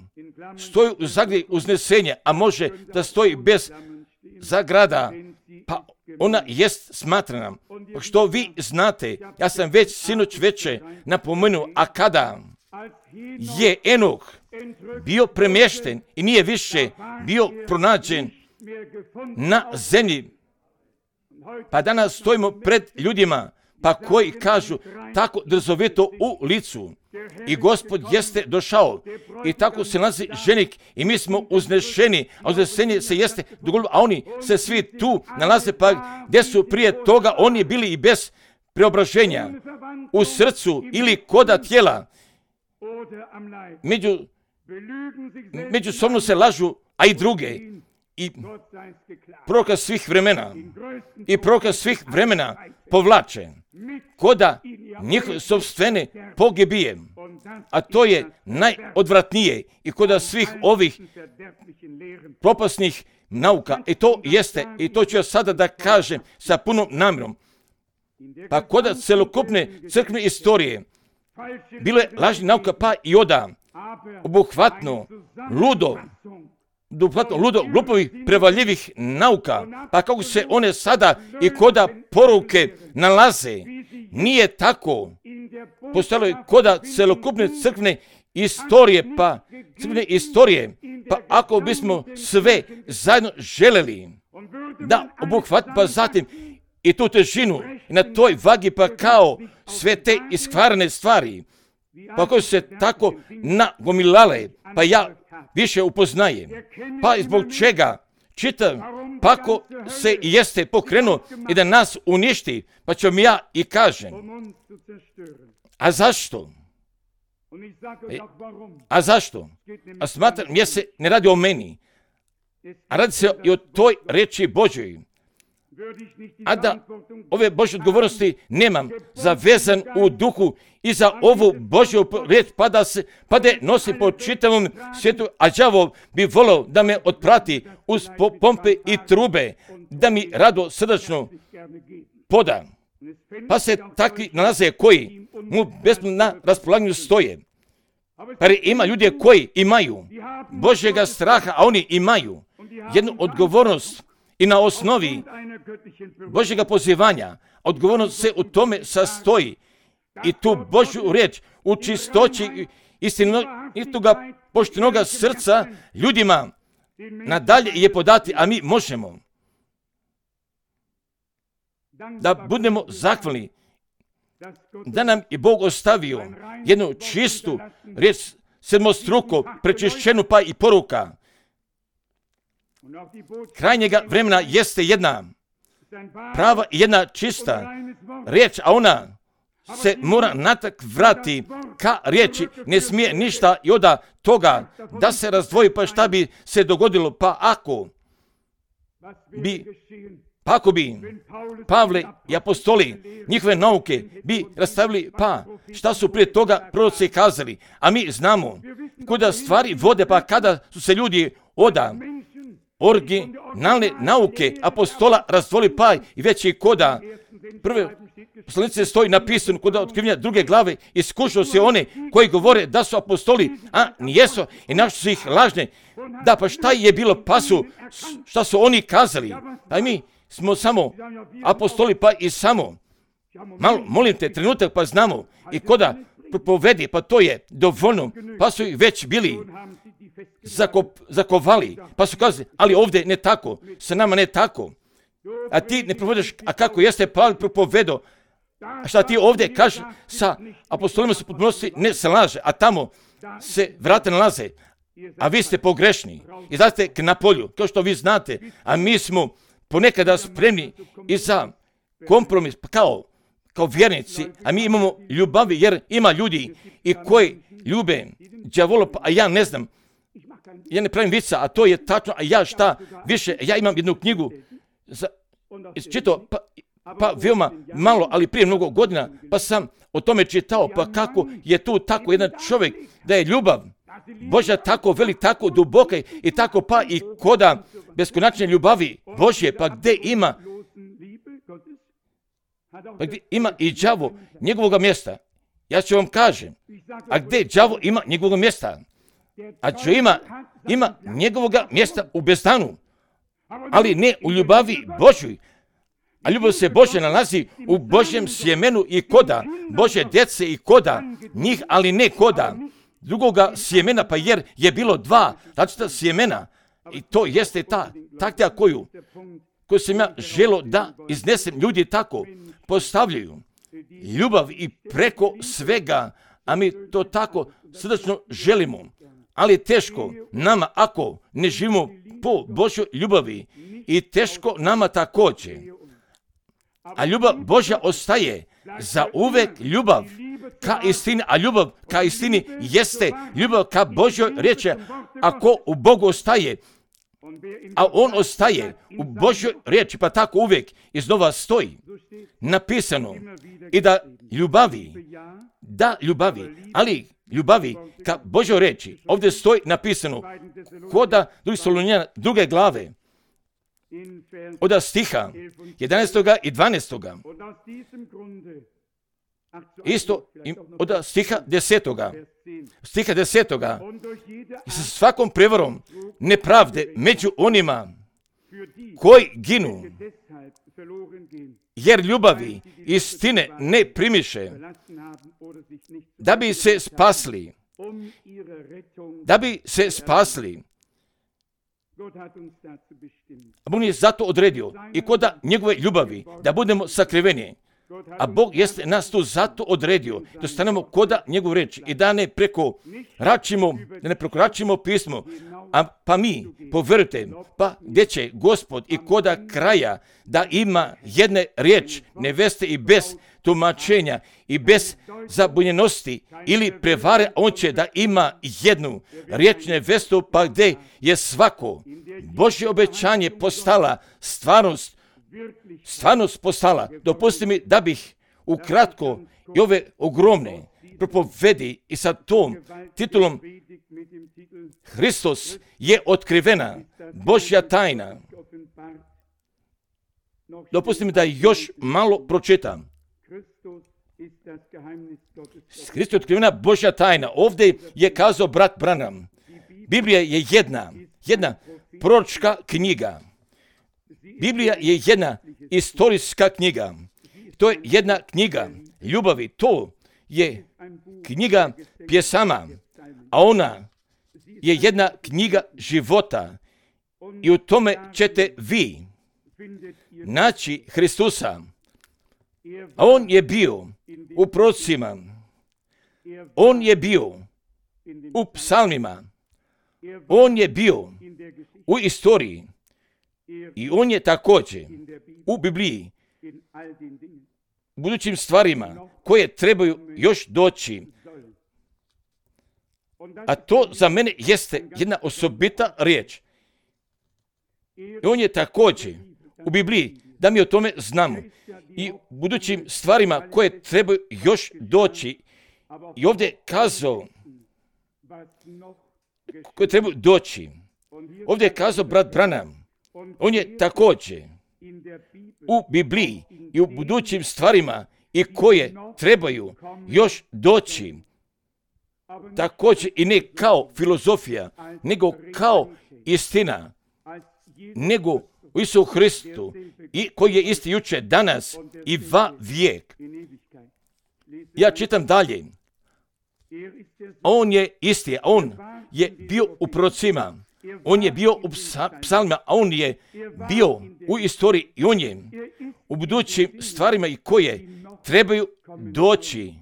Stoji u zagradi uznesenje, a može da stoji bez zagrada, pa ona jest smatrana. Što vi znate, ja sam već sinoć veče napomenuo, a kada je Enoh bio premješten i nije više bio pronađen na zemlji, pa danas stojimo pred ljudima, pa koji kažu tako drzovito u licu. I Gospod jeste došao i tako se nalazi ženik i mi smo uznešeni, a uznesenje se jeste dogodilo, a oni se svi tu nalaze, pa gdje su prije toga oni bili i bez preobraženja u srcu ili koda tijela. Među, međusobno se lažu, a i druge. I proroka svih vremena i proroka svih vremena povlače koda njihove sopstvene pogibije, a to je najodvratnije i koda svih ovih propasnih nauka. I to jeste, i to ću ja sada da kažem sa punom namjerom. Pa koda celokupne crkvene istorije bilo je lažnih nauka, pa i oda obuhvatno, ludo, obuhvatno, ludo, glupovih, prevaljivih nauka, pa kako se one sada i koda poruke nalaze, nije tako. Postalo je koda celokupne crkvene istorije, pa crkvene istorije, pa ako bismo sve zajedno želeli da obuhvatimo, pa zatim i tu težinu na toj vagi, pa kao sve te iskvarene stvari, pa koje su se tako nagomilale, pa ja više upoznajem. Pa zbog čega čitam, pa ako se jeste pokrenuo i da nas uništi, pa ću mi ja i kažem. A zašto? E, a zašto? A smatram, jer se ne radi o meni, a radi se i o toj reči Božoj. a da ove Božje odgovornosti nemam zavezan u duhu i za ovu Božju riječ pa da se pa da nosim po čitavom svijetu, a đavol bi volio da me otprati uz pompe i trube, da mi rado srdačno poda. Pa se takvi nalaze koji mu besplatno na raspolaganju stoje. Pa ima ljudi koji imaju Božjega straha, a oni imaju jednu odgovornost i na osnovi Božjega pozivanja. Odgovornost se u tome sastoji i tu Božju riječ u čistoći istinoga poštenoga srca ljudima nadalje je podati, a mi možemo da budemo zahvalni da nam je Bog ostavio jednu čistu riječ, sedmostruko prečišćenu pa i poruka. Krajnjega vremena jeste jedna prava i jedna čista riječ, a ona se mora natak vrati ka riječi. Ne smije ništa i od toga da se razdvoji, pa šta bi se dogodilo, pa ako bi Pa ako bi Pavle i apostoli njihove nauke bi rastavili, pa šta su prije toga proroci kazali, a mi znamo kuda stvari vode, pa kada su se ljudi oda originalne nauke apostola razdvoli, pa i već i koda prve poslanice stoji napisano kuda otkrivanja druge glave, iskušao se one koji govore da su apostoli, a nijesu, i našli su ih lažne. Da, pa šta je bilo, pa su, šta su oni kazali, pa i mi smo samo apostoli, pa i samo, malo, molim te, trenutak, pa znamo, i koda propovedi, pa to je dovoljno, pa su ih već bili zakop, zakovali, pa su kazali, ali ovdje ne tako, sa nama ne tako, a ti ne propovediš, a kako jeste Pavle propovedo, a šta ti ovdje kažeš, sa apostolima su potpunosti ne se laže, a tamo se vrata nalaze, a vi ste pogrešni, izlazite k na polju, kao što vi znate, a mi smo ponekada spremni i za kompromis, kao, kao vjernici, a mi imamo ljubavi, jer ima ljudi i koji ljube đavola, a ja ne znam, ja ne pravim vica, a to je tačno, a ja šta više, ja imam jednu knjigu, za, čitao, pa, pa veoma malo, ali prije mnogo godina, pa sam o tome čitao, pa kako je tu tako jedan čovjek, da je ljubav Božja tako velik, tako duboka i tako pa i koda beskonačne ljubavi Božje, pa gdje ima, pa gdje ima i đavo njegovoga mjesta. Ja ću vam kažem, a gdje đavo ima njegovoga mjesta? A čo ima, ima njegovoga mjesta u bezdanu, ali ne u ljubavi Božjoj. A ljubav se Božja nalazi u Božjem sjemenu i koda Božje djece i koda njih, ali ne koda drugoga sjemena, pa jer je bilo dva različita sjemena i to jeste ta taktika koju, koju sam ja želo da iznesem. Ljudi tako postavljaju ljubav i preko svega, a mi to tako srdačno želimo, ali je teško nama ako ne živimo po Božjoj ljubavi i teško nama također. A ljubav Božja ostaje za uvek ljubav ka istini, a ljubav ka istini jeste ljubav ka Božjoj riječi. Ako u Bogu ostaje, a on ostaje u Božjoj riječi, pa tako uvijek iznova stoji napisano i da ljubavi, da ljubavi, ali ljubavi ka Božjoj riječi, ovdje stoji napisano koda drugi Solunjana druge glave, od stiha jedanaestog i dvanaestog Isto od stiha desetoga Stiha desetoga I sa svakom prevarom nepravde među onima koji ginu, jer ljubavi istine ne primiše, da bi se spasli, da bi se spasli. Bog je zato odredio i koda njegove ljubavi da budemo sakriveni. A Bog jeste nas tu zato odredio da stanemo koda njegov reč i da ne preko račimo, da ne prekoračimo pismo, a pa mi, povjerujte, pa gdje će Gospod i koda kraja da ima jedne riječ neveste i bez tumačenja i bez zabunjenosti ili prevare, on će da ima jednu riječ nevestu, pa gdje je svako Božje obećanje postala stvarnost stvarnost postala. Dopusti mi da bih ukratko i ove ogromne propovedi i sa tom titulom Hristos je otkrivena Božja tajna. Dopusti mi da još malo pročitam. Hristos je otkrivena Božja tajna. Ovdje je kazao brat Branham. Biblija je jedna, jedna proročka knjiga. Biblija je jedna istorijska knjiga. To je jedna knjiga ljubavi. To je knjiga pjesama, a ona je jedna knjiga života. I u tome ćete vi naći Hristusa. A on je bio u prorocima. On je bio u psalmima. On je bio u istoriji. I on je također u Bibliji, u budućim stvarima koje trebaju još doći. A to za mene jeste jedna osobita riječ. I on je također u Bibliji, da mi o tome znamo. I u budućim stvarima koje trebaju još doći. I ovdje je kazao koje trebaju doći. Ovdje je kazao brat Branham. On je također u Bibliji i u budućim stvarima i koje trebaju još doći. Također i ne kao filozofija, nego kao istina, nego u Isu Hristu, i koji je isti jučer, danas i va vijek. Ja čitam dalje. On je isti, on je bio u prorocima, on je bio u psalmima, a on je bio u istoriji i on je u budućim stvarima i koje trebaju doći.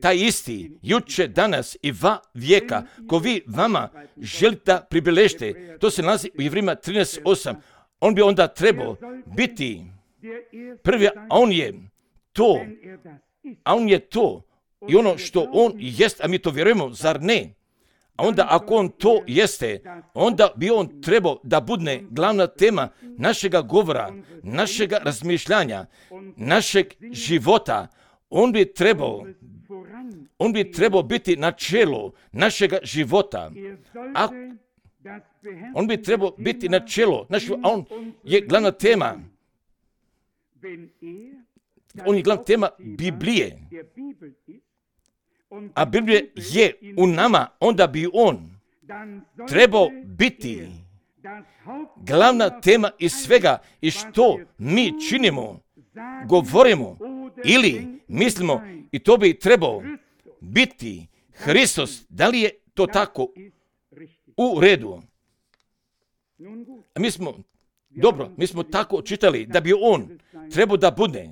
Taj isti, juče, danas i va vijeka, ko vi vama želite da pribilježite, to se nalazi u Jevrejima trinaest osam. On bi onda trebao biti prvi, a on je to, a on je to i ono što on jest, a mi to vjerujemo, zar ne? A onda ako on to jeste, onda bi on trebao da bude glavna tema našega govora, našega razmišljanja, našeg života. On bi trebao, on bi trebao biti na čelu našega života. A on bi trebao biti na čelu, našeg, a on je glavna tema. On je glavna tema Biblije. A Biblija je u nama, onda bi on trebao biti glavna tema iz svega i što mi činimo, govorimo ili mislimo, i to bi trebao biti Hristos. Da li je to tako u redu? A mi smo, dobro, mi smo tako čitali da bi on trebao da bude.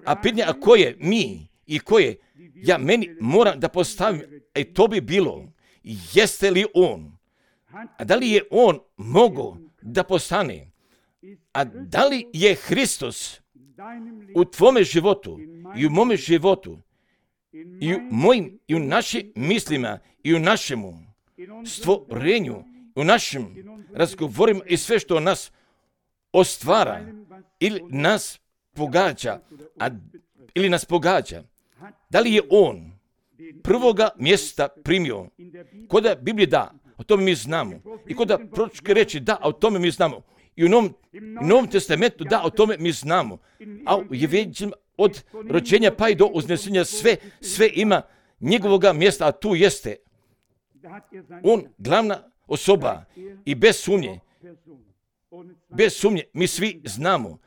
A pitanje, a koje mi i koje ja meni moram da postavim, a to bi bilo, jeste li on? A da li je on mogao da postane? A da li je Hristos u tvome životu i u mome životu i u mojim i u našim mislima i u našemu stvorenju, u našim razgovorima i sve što nas ostvara ili nas pogađa, a, ili nas pogađa. Da li je on prvoga mjesta primio? Koda Biblija da, o tome mi znamo. I koda proročke reči da, o tome mi znamo. I u Novom, Novom testamentu da, o tome mi znamo. A u Evanđelju od rođenja pa i do uznesenja sve, sve ima njegovoga mjesta, a tu jeste on glavna osoba i bez sumnje, bez sumnje mi svi znamo.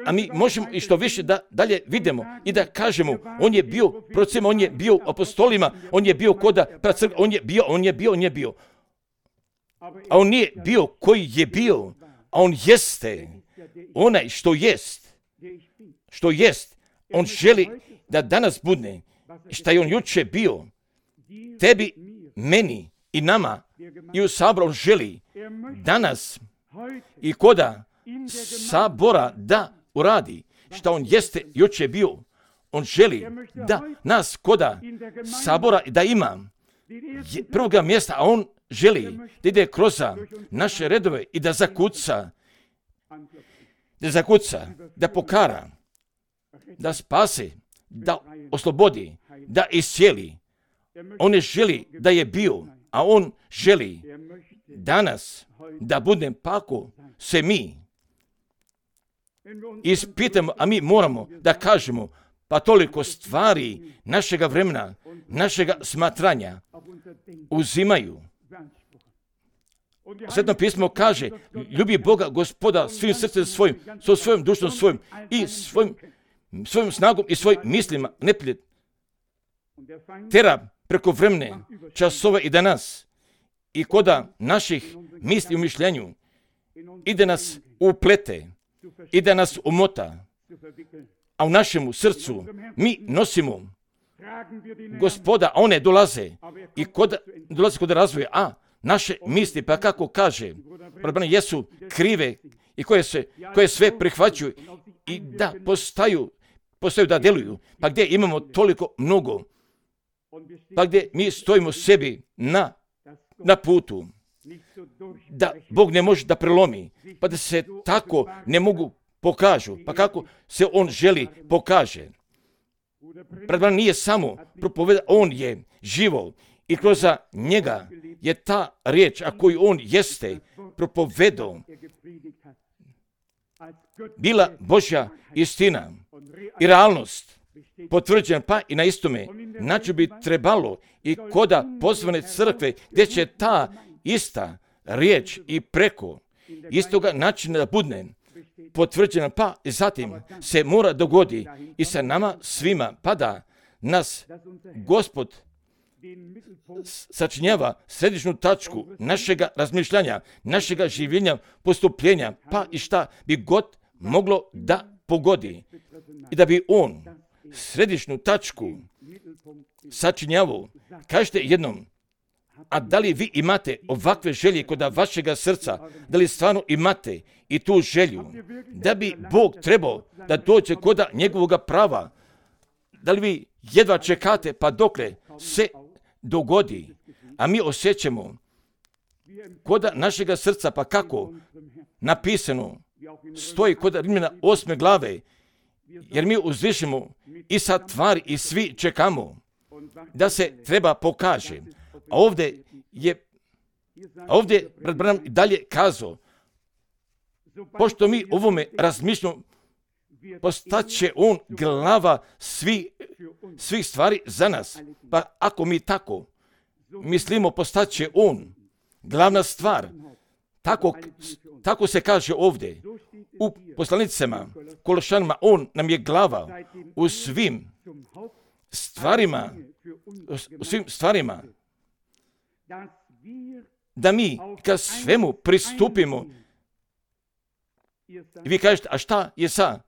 A mi možemo i što više da dalje vidimo i da kažemo, on je bio procema, on je bio apostolima, on je bio koda pracrkva, on je bio, on je bio, on je bio. A on nije bio koji je bio, a on jeste onaj što jest, što jest. On želi da danas bude šta je on juče bio, tebi, meni i nama i u saboru on želi danas i koda sabora da uradi šta on jeste juče bio. On želi da nas koda sabora da ima prvoga mjesta, a on želi da ide kroz naše redove i da zakuca da zakuca, da pokara, da spase, da oslobodi, da iscijeli. On ne želi da je bio, a on želi danas da budem, pa ako se mi ispitamo, a mi moramo da kažemo, pa toliko stvari našega vremena, našega smatranja uzimaju. Sveto pismo kaže, ljubi Boga, Gospoda, svim srcem svojim, so svojom dušom svojim i svojim, svojom snagom i svojim mislima. Neprijatelj tera preko vremene, časova i danas i koda naših misli u mišljenju i da nas uplete i da nas umota, a u našemu srcu mi nosimo Gospoda, a one dolaze i kod, dolaze kod razvoja, a naše misli, pa kako kaže, problemi jesu krive i koje, se, koje sve prihvaćuju i da postaju, postaju da deluju, pa gdje imamo toliko mnogo, pa gdje mi stojimo sebi na, na putu, da Bog ne može da prelomi, pa da se tako ne mogu pokažu, pa kako se on želi pokaže. Pred vama nije samo propoveda, on je živo i kroz njega je ta riječ, a koju on jeste propovedao, bila Božja istina i realnost potvrđena, pa i na istome način bi trebalo i koda pozvane crkve gdje će ta ista riječ i preko istoga načina da bude potvrđena, pa i zatim se mora dogodi i sa nama svima, pa da nas Gospod sačinjava središnju tačku našega razmišljanja, našega življenja, postupljenja, pa i šta bi god moglo da pogodi. I da bi on središnju tačku sačinjavao. Kažete jednom, a da li vi imate ovakve želje kod vašega srca, da li stvarno imate i tu želju, da bi Bog trebao da dođe kod njegovog prava, da li vi jedva čekate pa dokle se dogodi, a mi osjećamo kod našega srca, pa kako napisano stoji kod Rimljana osme glave, jer mi uzvišimo i sad tvari i svi čekamo da se treba pokaže. A ovdje je, a ovdje brat Branham i dalje kazao, pošto mi ovome razmišljamo, postaće on glava svi, svih stvari za nas. Pa ako mi tako mislimo, postaće on glavna stvar. Tako, tako se kaže ovdje u poslanicama Kološanima, on nam je glava u svim stvarima, u svim stvarima, da mi ka svemu pristupimo. I vi kažete, a šta je sa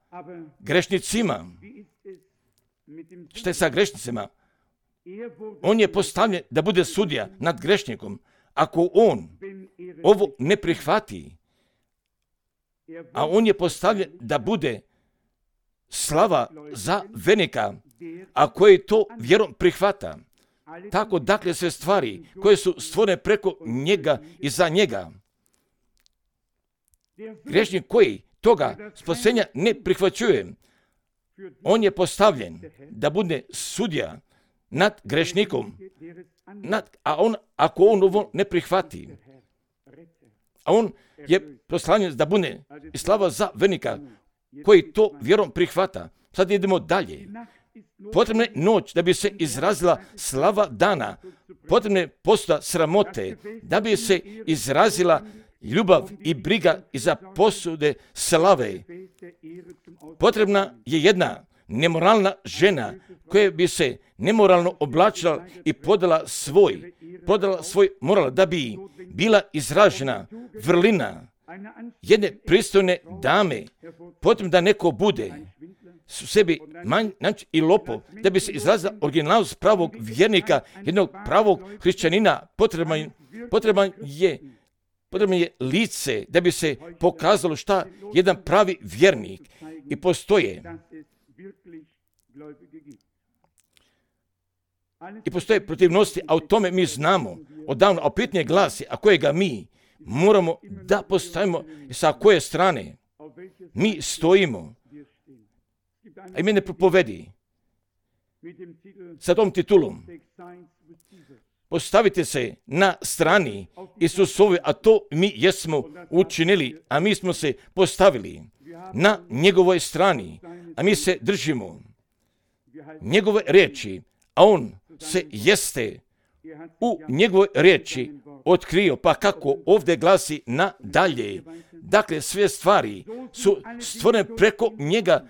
grešnicima? Šta je sa grešnicima? On je postavljen da bude sudija nad grešnikom. Ako on ovo ne prihvati, a on je postavljen da bude slava za vernika, a koji to vjerom prihvata. Tako dakle sve stvari koje su stvorene preko njega i za njega. Grešnik koji toga spasenja ne prihvaćuje, on je postavljen da bude sudija nad grešnikom, nad, a on, ako on ovo ne prihvati, a on je postavljen da bude i slava za vernika koji to vjerom prihvata. Sad idemo dalje. Potrebna je noć da bi se izrazila slava dana, potrebna je posuda sramote da bi se izrazila ljubav i briga iza posude slave. Potrebna je jedna nemoralna žena koja bi se nemoralno oblačila i podala svoj, podala svoj moral da bi bila izražena vrlina jedne pristojne dame. Potrebno da neko bude su sebi manj i lopov, da bi se izrazila originalnost pravog vjernika, jednog pravog hrišćanina. Potreban, potreban je Potrebno je lice da bi se pokazalo šta jedan pravi vjernik i postoje. I postoje protivnosti, a o tome mi znamo odavno, a pitanje glasi, a kojega mi moramo da postavimo sa koje strane. mi stojimo. A i mene propovedi sa tom titulom. Postavite se na strani Isusove, a to mi jesmo učinili, a mi smo se postavili na njegovoj strani, a mi se držimo njegove riječi, a on se jeste u njegovoj riječi otkrio, pa kako ovdje glasi nadalje. Dakle, sve stvari su stvorene preko njega,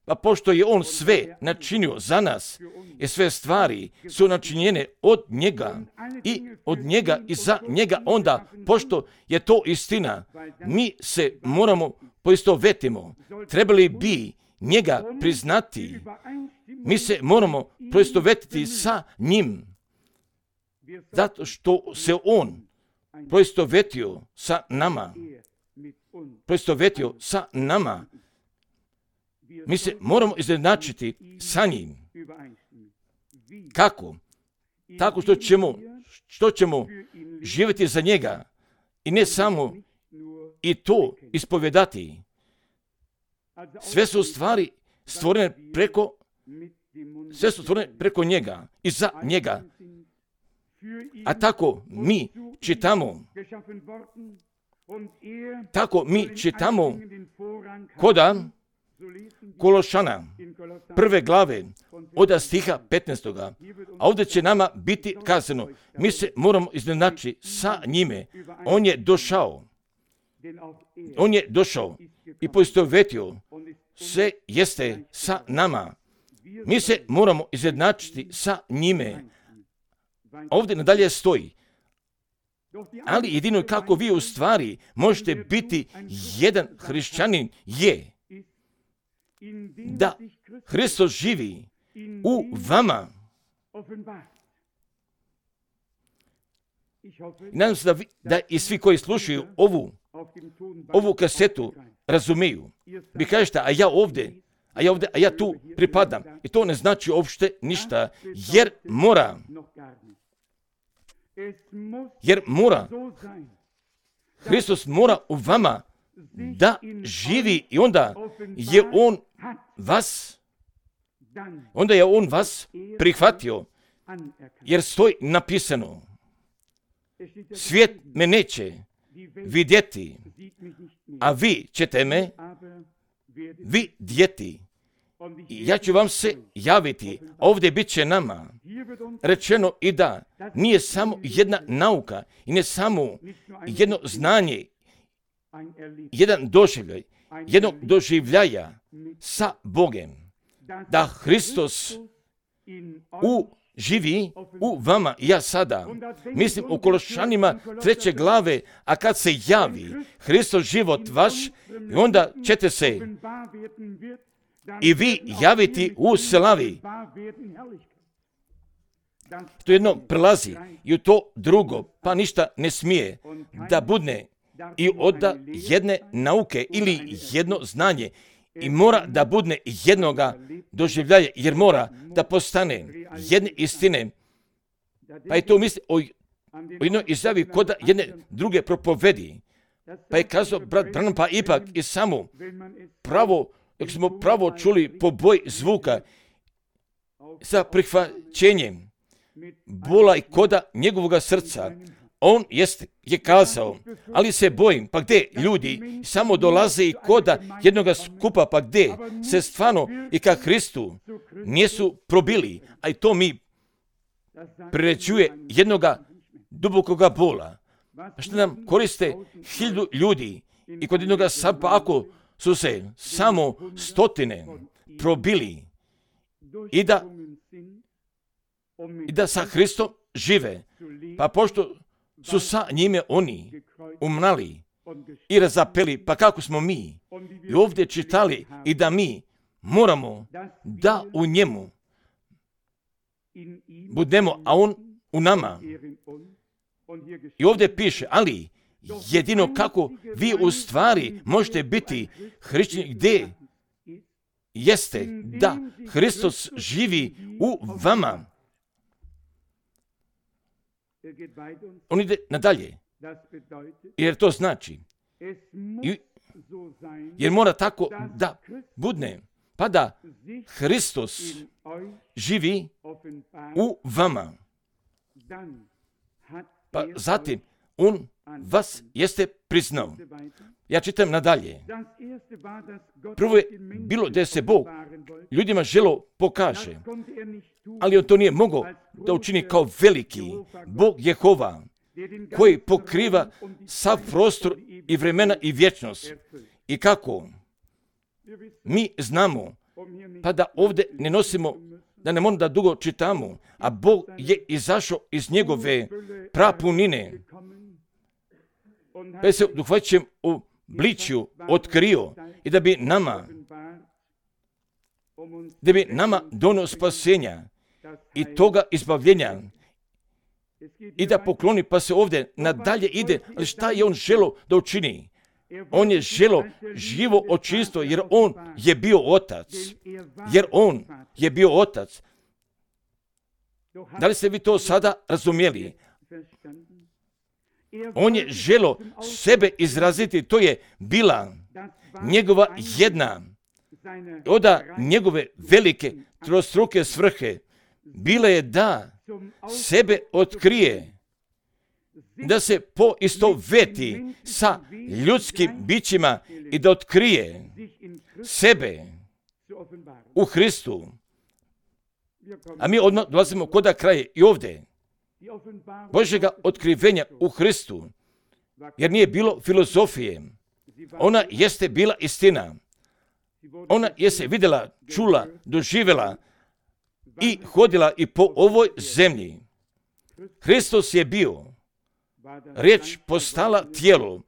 pa pošto je on sve načinio za nas, i sve stvari su načinjene od njega i od njega i za njega, onda, pošto je to istina, mi se moramo poistovetimo. Trebali bi njega priznati. Mi se moramo poistovetiti sa njim, zato što se on poistovetio sa nama. Poistovetio sa nama. Mi se moramo izjednačiti sa njim. Kako? Tako što ćemo, što ćemo živjeti za njega i ne samo i to ispovedati. Sve su stvari stvorene preko, sve su stvorene preko njega i za njega. A tako mi čitamo, tako mi čitamo koda Kološana, prve glave, od stiha petnaestog. A ovdje će nama biti kazano, mi se moramo iznenačiti sa njime. On je došao, on je došao i poistovetio se jeste sa nama. Mi se moramo izjednačiti sa njime. Ovdje nadalje stoji, ali jedino kako vi u stvari možete biti jedan hrišćanin je da Hristos živi u vama. Nadam se da, vi, da i svi koji slušaju ovu, ovu kasetu razumiju. Vi kažete, a ja ovdje, a ja ovdje, a ja tu pripadam. I to ne znači uopšte ništa, jer mora, jer mora, Hristos mora u vama da živi i onda je on vas, onda je on vas prihvatio, jer stoji napisano, svijet me neće vidjeti, a vi ćete me vidjeti. I ja ću vam se javiti, ovdje bit će nama rečeno i da nije samo jedna nauka i ne samo jedno znanje, jedan doživljaj, jednog doživljaja sa Bogem, da Hristos u živi u vama. Ja sada mislim u Kološanima treće glave, a kad se javi Hristos život vaš, onda ćete se i vi javiti u slavi. To jedno prelazi i u to drugo, pa ništa ne smije da budne i od jedne nauke ili jedno znanje i mora da budne jednoga doživljaja, jer mora da postane jedne istine. Pa je to misli o, o jednoj izjavi kod jedne druge propovedi. Pa je kazao brat Branham, pa ipak i samo pravo, jak smo pravo čuli po boji zvuka sa prihvaćenjem bola i koda njegovog srca. On jest, je kazao, ali se bojim, pa gdje ljudi samo dolaze i koda jednoga skupa, pa gdje se stvarno i ka Hristu nisu probili, a i to mi priređuje jednoga dubokoga bola. Što nam koriste hiljadu ljudi i kod jednoga sapa, ako su se samo stotine probili i da, i da sa Hristom žive, pa pošto su sa njime oni umrali i razapeli, pa kako smo mi i ovdje čitali i da mi moramo da u njemu budemo, a on u nama. I ovdje piše, ali jedino kako vi u stvari možete biti hrišćani, gdje jeste da Hristos živi u vama. On ide nadalje, jer to znači, i jer mora tako da budne, pa da Hristos živi u vama. Pa zatim, on vas jeste priznao. Ja čitam nadalje. Prvo je bilo da se Bog ljudima želo pokaže, ali on to nije mogao da učini kao veliki Bog Jehova, koji pokriva sav prostor i vremena i vječnost. I kako? Mi znamo, pa da ovdje ne nosimo, da ne moramo da dugo čitamo, a Bog je izašao iz njegove prapunine, pa je se duhvaćem u bličju otkrio i da bi nama, da bi nama donio spasenja i toga izbavljenja i da pokloni, pa se ovdje nadalje ide, ali šta je on želo da učini? On je želo živo očistvo, jer on je bio otac, jer on je bio otac. Da li ste vi to sada razumjeli? On je želo sebe izraziti, to je bila njegova jedna od njegove velike trostruke svrhe. Bila je da sebe otkrije, da se poistoveti sa ljudskim bićima i da otkrije sebe u Hristu. A mi odmah dolazimo kod kraja i ovdje. Božjega otkrivenja u Hristu, jer nije bilo filozofije. Ona jeste bila istina. Ona je se vidjela, čula, doživjela i hodila i po ovoj zemlji. Hristos je bio, riječ postala tijelo.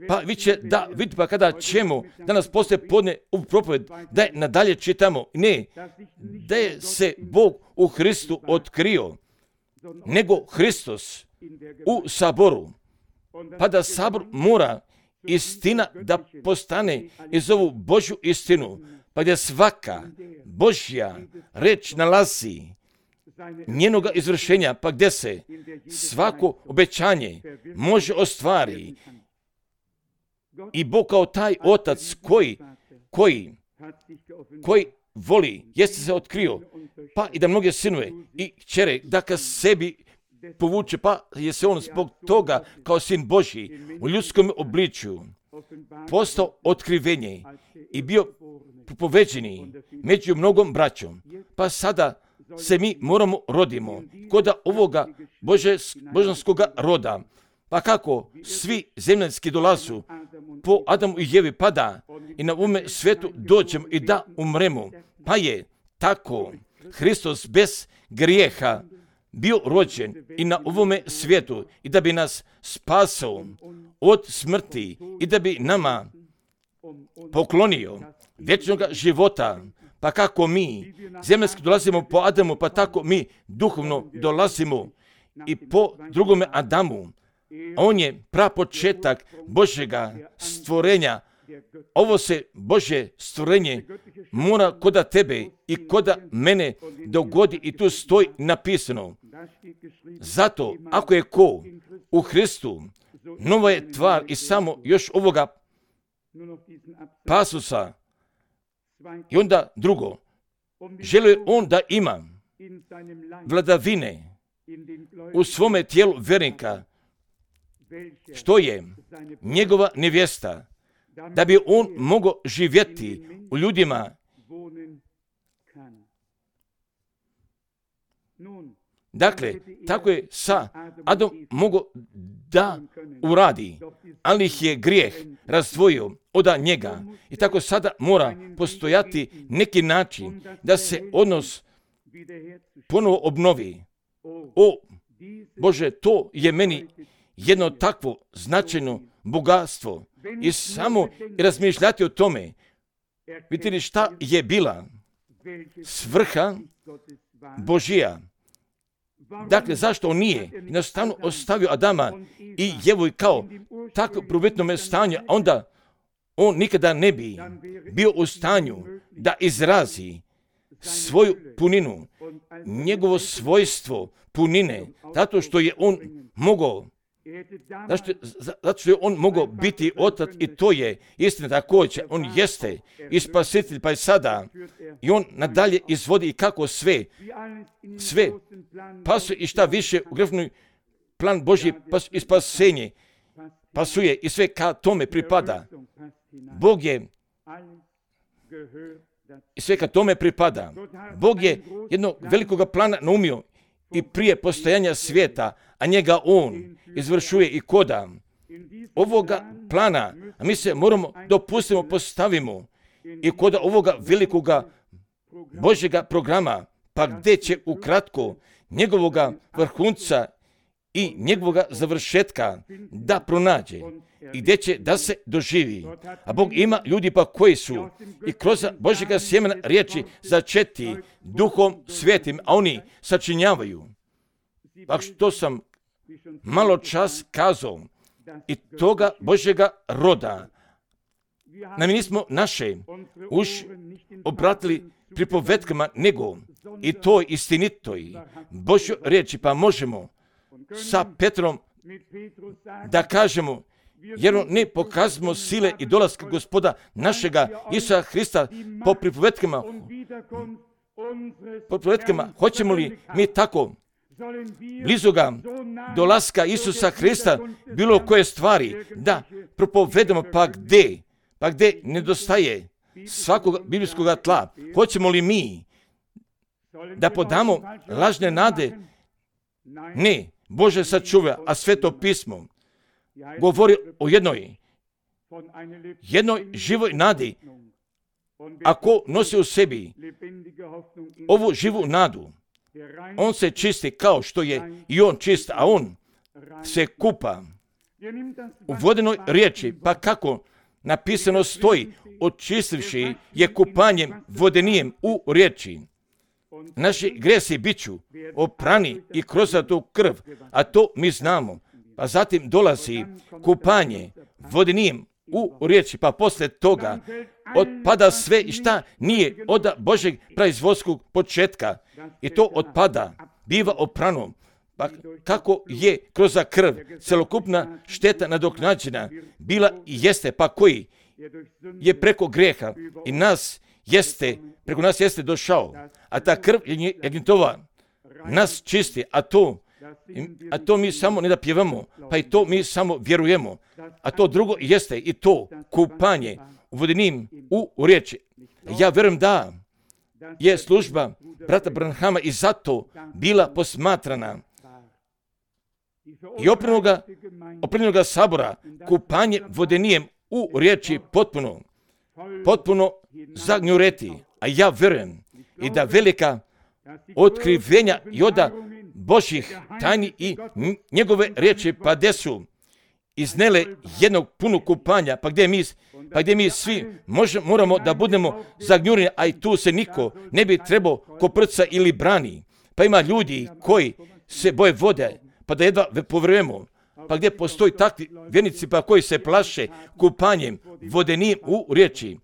Pa vi će da vidite, pa kada ćemo danas poslije podne u propoved, da je nadalje čitamo, ne, da je se Bog u Hristu otkrio, nego Hristos u saboru, pa da sabor mora istina da postane iz ovu Božju istinu, pa gdje svaka Božja reč nalazi njenoga izvršenja, pa gdje se svako obećanje može ostvari. I Bog kao taj otac koji, koji, koji voli, jeste se otkrio, pa i da mnoge sinove i kćere da ka sebi povuče, pa je se on zbog toga kao sin Božji u ljudskom obličju postao otkrivenje i bio poveđeni među mnogom braćom. Pa sada se mi moramo rodimo kod ovoga božanskoga roda. Pa kako svi zemljanski dolazu po Adamu i Jevi, pa da i na ovome svetu dođemo i da umremo. Pa je tako Hristos bez grijeha bio rođen i na ovome svijetu i da bi nas spasao od smrti i da bi nama poklonio vječnog života. Pa kako mi zemljanski dolazimo po Adamu, pa tako mi duhovno dolazimo i po drugome Adamu. On je prapočetak Božjega stvorenja. Ovo se Božje stvorenje mora koda tebe i koda mene dogodi i tu stoji napisano. Zato, ako je ko u Hristu, nova je tvar i samo još ovoga pasusa. I onda drugo, želi on da ima vladavine u svome tijelu vjernika, što je njegova nevjesta, da bi on mogao živjeti u ljudima. Dakle, tako je sa Adam mogao da uradi, ali ih je grijeh razdvojio od njega. I tako sada mora postojati neki način da se odnos ponovo obnovi. O Bože, to je meni jedno takvo značajno bogatstvo i samo razmišljati o tome. Vidite šta je bila svrha Božija. Dakle, zašto on nije jednostavno ostavio Adama i Jevu kao tako prvobitnome stanju, a onda on nikada ne bi bio u stanju da izrazi svoju puninu, njegovo svojstvo punine, zato što je on mogao Zašto, zato što je on mogao biti otac i to je istina također. On jeste i spasitelj pa i sada. I on nadalje izvodi i kako sve, sve pasuje i šta više u grefnoj plan Božji pas, i spasenje pasuje i sve ka tome pripada. Bog je i sve ka tome pripada. Bog je jednog velikog plana naumio i prije postojanja svijeta, a njega on izvršuje i koda ovoga plana, a mi se moramo dopustimo postavimo i koda ovoga velikoga Božjega programa, pa gdje će ukratko njegovoga vrhunca i njegovoga završetka da pronađe i gdje će da se doživi. A Bog ima ljudi pa koji su i kroz Božjega sjemena riječi začeti Duhom Svetim, a oni sačinjavaju. Pa što sam malo čas kazao i toga Božjega roda. Na mi nismo naše už obratili pripovetkama, nego i toj istinitoj Božjoj riječi, pa možemo sa Petrom da kažemo, jer ne pokazimo sile i dolaska Gospoda našega Isusa Hrista po pripovetkama, po pripovetkama, hoćemo li mi tako blizu ga dolaska Isusa Hrista bilo koje stvari da propovedamo, pa gdje, pa gdje nedostaje svakog biblijskog tla, hoćemo li mi da podamo lažne nade? Ne, Bože sačuva, a Sveto pismo govori o jednoj, jednoj živoj nadi. Ako nosi u sebi ovu živu nadu, on se čisti kao što je i on čist, a on se kupa u vodenoj riječi, pa kako napisano stoji, očistivši je kupanjem vodenijem u riječi. Naši gresi biću oprani i kroz tu krv, a to mi znamo. Pa zatim dolazi kupanje vodenijem u riječi, pa poslije toga otpada sve i šta nije od Božeg proizvodskog početka. I to otpada, biva oprano. Pa kako je kroz krv celokupna šteta nadoknađena bila i jeste, pa koji je preko grijeha i nas jeste, preko nas jeste došao, a ta krv jagnjetova nas čisti, a to, a to mi samo ne da pjevamo, pa i to mi samo vjerujemo, a to drugo jeste i to kupanje vodenim u riječi. Ja vjerujem da je služba brata Branhama i zato bila posmatrana i oprenoga, oprenoga sabora kupanje vodenijem u riječi potpuno, potpuno zagnjureti. A ja vjerujem i da velika otkrivenja i oda Božjih tajni i njegove riječi pa gdje su iznele jednog punog kupanja, pa gdje mi, pa gdje mi svi možemo, moramo da budemo zagnjureni, a i tu se niko ne bi trebao koprca ili brani. Pa ima ljudi koji se boje vode, pa da jedva povjerujemo. Pa gdje postoji takvi vjernici pa koji se plaše kupanjem vodenim u riječi.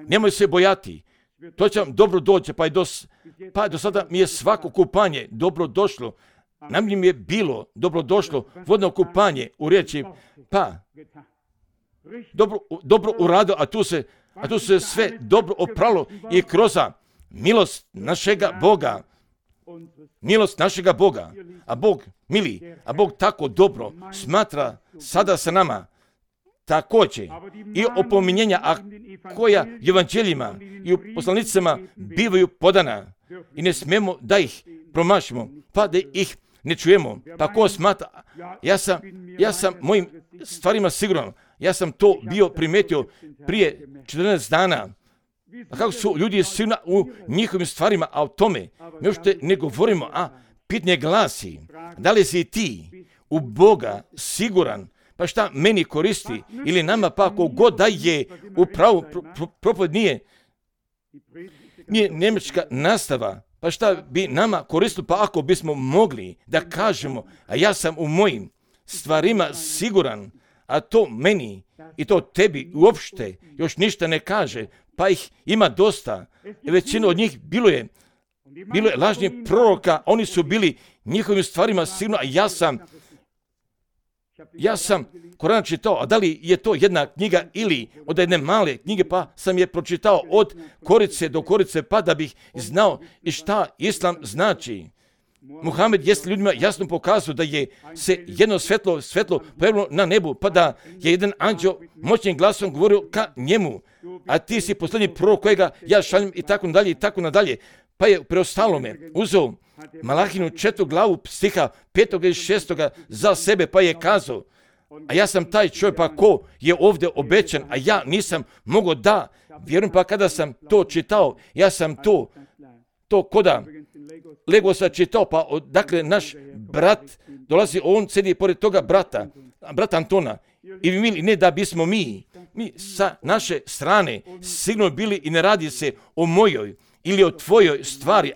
Nemoj se bojati, to će vam dobro doći, pa, do, pa do sada mi je svako kupanje dobro došlo. Nam mi je bilo dobro došlo vodno kupanje u riječi, pa dobro, dobro urado, a tu se, a tu se sve dobro opralo i kroz milost našega Boga. Milost našega Boga, a Bog mili, a Bog tako dobro smatra sada sa nama također i opominjenja, a koja evanđeljima i u poslanicama bivaju podana i ne smemo da ih promašimo, pa da ih ne čujemo. Pa ko smatra, ja sam, ja sam mojim stvarima siguran, ja sam to bio primetio prije četrnaest dana. A kako su ljudi sigurni u njihovim stvarima, a o tome mi još ne govorimo, a pitanje glasi, da li si ti u Boga siguran, pa šta meni koristi, ili nama pa ako god da je upravo pro, pro, propoved nije, nije njemačka nastava, pa šta bi nama koristilo, pa ako bismo mogli da kažemo, a ja sam u mojim stvarima siguran, a to meni i to tebi uopšte još ništa ne kaže, pa ih ima dosta. Većina od njih bilo je, bilo je lažnih proroka, oni su bili njihovim stvarima sigurno, a ja sam ja sam Koran čitao, a da li je to jedna knjiga ili od jedne male knjige, pa sam je pročitao od korice do korice, pa da bih znao i šta Islam znači. Muhamed jest ljudima jasno pokazao da je se jedno svetlo, svetlo pojavilo na nebu, pa da je jedan anđeo moćnim glasom govorio ka njemu, a ti si posljednji prorok kojega ja šaljem i tako nadalje i tako nadalje. Pa je preostalome uzeo Malahinu četvrtu glavu stiha petoga i šestoga za sebe, pa je kazao, a ja sam taj čovjek, pa ko je ovdje obećan, a ja nisam mogao da vjerujem, pa kada sam to čitao, ja sam to, to koda Legosa čitao, pa dakle naš brat dolazi, on sedi pored toga brata, brata Antona, i mi ne da bismo mi, mi sa naše strane sigurno bili i ne radi se o mojoj ili o tvojoj stvari,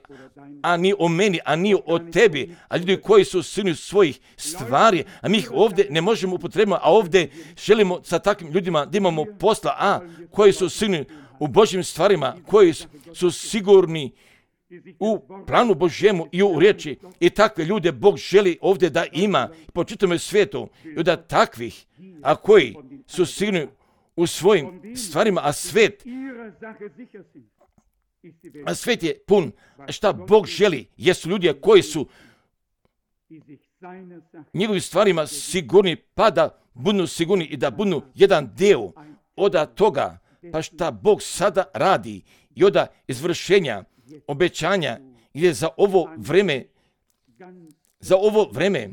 a ni o meni, a ni o tebi, a ljudi koji su sinu svojih stvari, a mi ih ovdje ne možemo upotrebiti, a ovdje želimo sa takvim ljudima da imamo posla, a koji su sinu u Božjim stvarima, koji su sigurni u planu Božjemu i u riječi, i takve ljude Bog želi ovdje da ima po čitavom svijetu, i da takvih, a koji su sigurni u svojim stvarima, a svijet A svijet je pun, šta Bog želi, jesu ljudi koji su njegovim stvarima sigurni, pa da budu sigurni i da budu jedan dio od toga, pa šta Bog sada radi i od izvršenja, obećanja, gdje za ovo vreme, za ovo vreme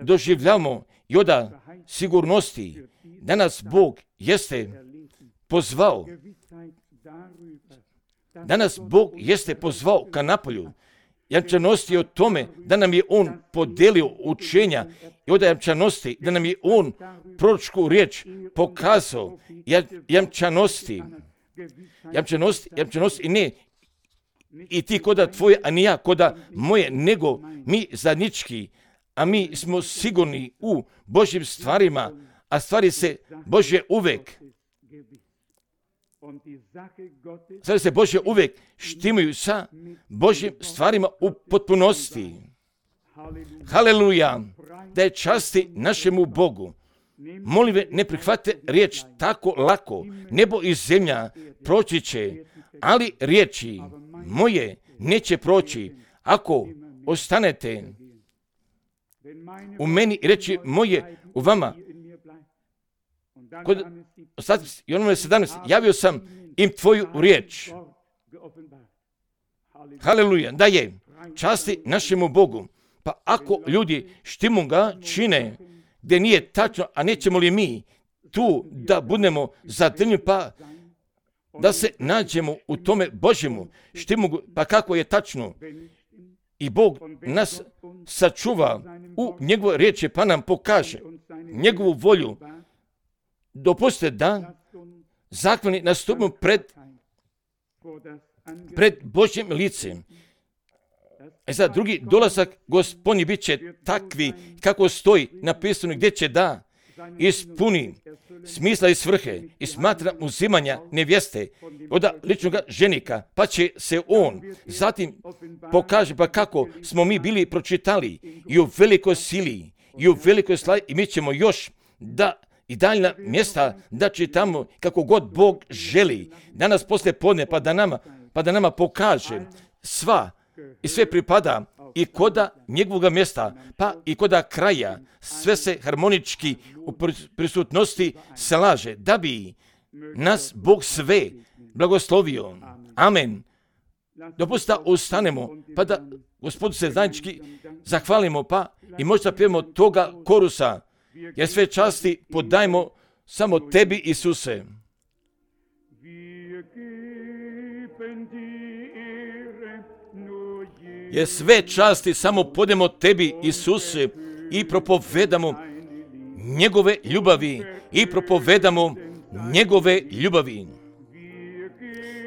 doživljamo i od sigurnosti. Danas Bog jeste pozvao Danas Bog jeste pozvao ka napolju. Jamčanosti o tome da nam je On podelio učenja i od jamčanosti da nam je On proročku riječ pokazao. Jamčanosti, jamčanosti, jamčanosti i ne i ti koda tvoje, a ni ja koda moje, nego mi zajednički, a mi smo sigurni u Božjim stvarima, a stvari se Božje uvek Sada se Božje uvijek štimaju sa Božjim stvarima u potpunosti. Haleluja! Da je časti našemu Bogu. Molim ve, ne prihvate riječ tako lako. Nebo i zemlja proći će, ali riječi moje neće proći ako ostanete u meni i reći moje u vama. Kod i onome sedamnaest, javio sam im tvoju riječ. Haleluja, da je časti našemu Bogu. Pa ako ljudi štimu ga čine gdje nije tačno, a nećemo li mi tu da budemo zadrnjeni, pa da se nađemo u tome Božjemu štimu, pa kako je tačno. I Bog nas sačuva u njegove riječi, pa nam pokaže njegovu volju. Dopustite da zakoni nastupimo pred, pred Božjim licem. E sad, drugi dolazak Gospodnji bit će takvi kako stoji napisano gdje će da ispuni smisla i svrhe i smatra uzimanja nevjeste od ličnog ženika, pa će se on zatim pokaže pa kako smo mi bili pročitali i u velikoj sili i u velikoj slavi i mi ćemo još da i daljna mjesta da čitamo kako god Bog želi. Danas poslije podne pa da nama, pa da nama pokaže sva i sve pripada i koda njegovog mjesta, pa i koda kraja, sve se harmonički u prisutnosti slaže, da bi nas Bog sve blagoslovio. Amen. Dopustite da ustanemo, pa da Gospodu se zajednički zahvalimo, pa i možda pijemo toga korusa, jer sve časti podajmo samo tebi, Isuse. Jer sve časti samo podajmo tebi, Isuse, i propovedamo njegove ljubavi, i propovedamo njegove ljubavi.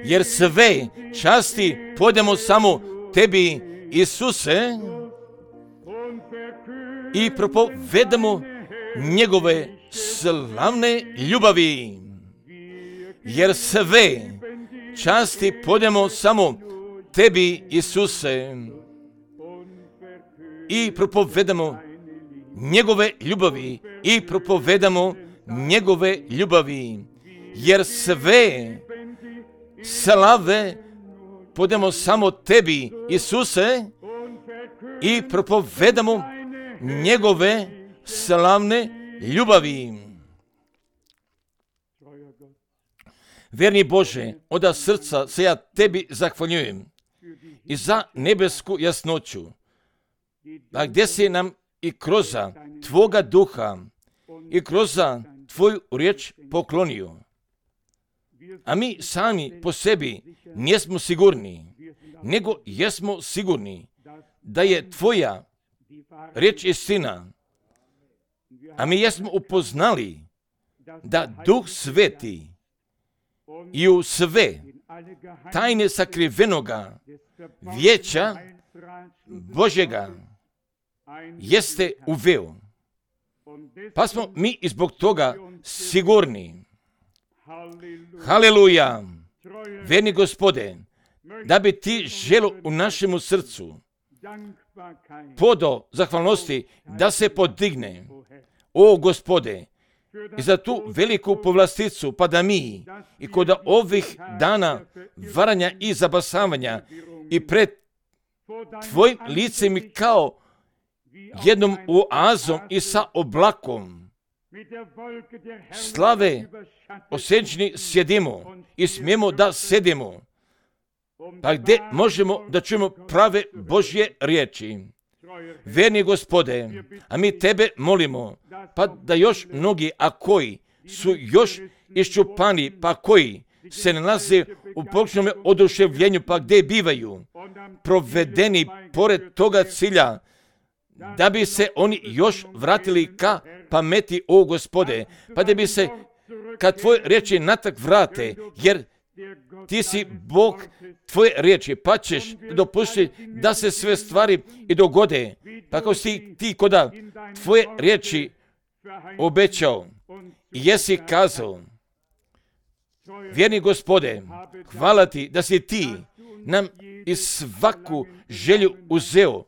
Jer sve časti podajmo samo tebi, Isuse, i propovedamo njegove slavne ljubavi. Jer sve časti podajmo samo tebi, Isuse, i propovedamo njegove ljubavi. i propovedamo njegove ljubavi, jer sve slave podemo samo tebi, Isuse, i propovedamo njegove slavne ljubavi. Verni Bože, od srca se ja tebi zahvaljujem i za nebesku jasnoću, a gdje si nam i kroz Tvoga duha i kroz Tvoju riječ poklonio. A mi sami po sebi nismo sigurni, nego jesmo sigurni da je Tvoja riječ istina. A mi jesmo upoznali da Duh Sveti i u sve tajne sakrivenoga vijeća Božjega jeste uveo. Pa smo mi i zbog toga sigurni. Haleluja! Verni Gospode, da bi ti želo u našemu srcu podo zahvalnosti da se podigne, o Gospode, i za tu veliku povlasticu, pa da mi i kod ovih dana varanja i zabasavanja i pred Tvojim licem i kao jednom oazom i sa oblakom slave osjećni sjedimo i smijemo da sedimo, pa gdje možemo da čujemo prave Božje riječi. Verni Gospode, a mi Tebe molimo, pa da još mnogi, a koji su još iščupani, pa koji se nalaze u pogrešnom oduševljenju, pa gdje bivaju provedeni pored toga cilja, da bi se oni još vratili ka pameti, o Gospode, pa da bi se kad Tvoje riječi natak vrate, jer Ti si Bog Tvoje riječi, pa ćeš dopustiti da se sve stvari i dogode, pa kao si Ti koda Tvoje riječi obećao i jesi kazao. Vjerni Gospode, hvala Ti da si Ti nam i svaku želju uzeo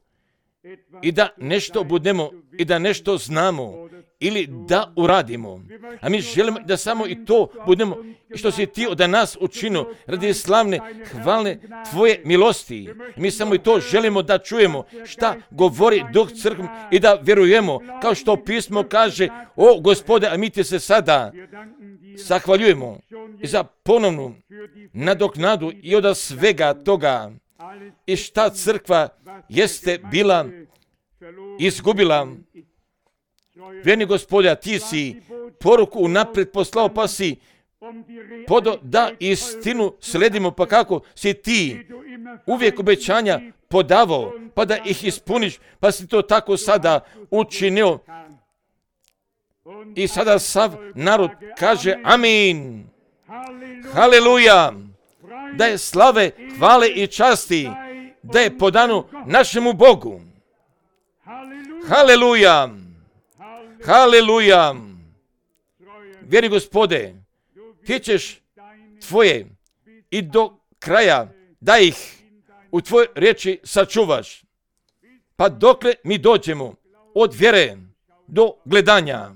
i da nešto budemo i da nešto znamo ili da uradimo. A mi želimo da samo i to budemo što si Ti od nas učinio radi slavne, hvalne Tvoje milosti. Mi samo i to želimo da čujemo šta govori Duh crkvom i da vjerujemo kao što pismo kaže, o Gospode, a mi Ti se sada zahvaljujemo i za ponovnu nadoknadu i od svega toga i šta crkva jeste bila izgubila. Vjerni Gospode, a Ti si poruku unaprijed poslao, pa si podo da istinu sledimo, pa kako si Ti uvijek obećanja podavao, pa da ih ispuniš, pa si to tako sada učinio. I sada sav narod kaže amin. Haleluja! Da je slave, hvale i časti, da je podano našemu Bogu. Haleluja! Haleluja! Vjeri Gospode, Ti ćeš Tvoje i do kraja da ih u Tvojoj riječi sačuvaš. Pa dokle mi dođemo od vjere do gledanja.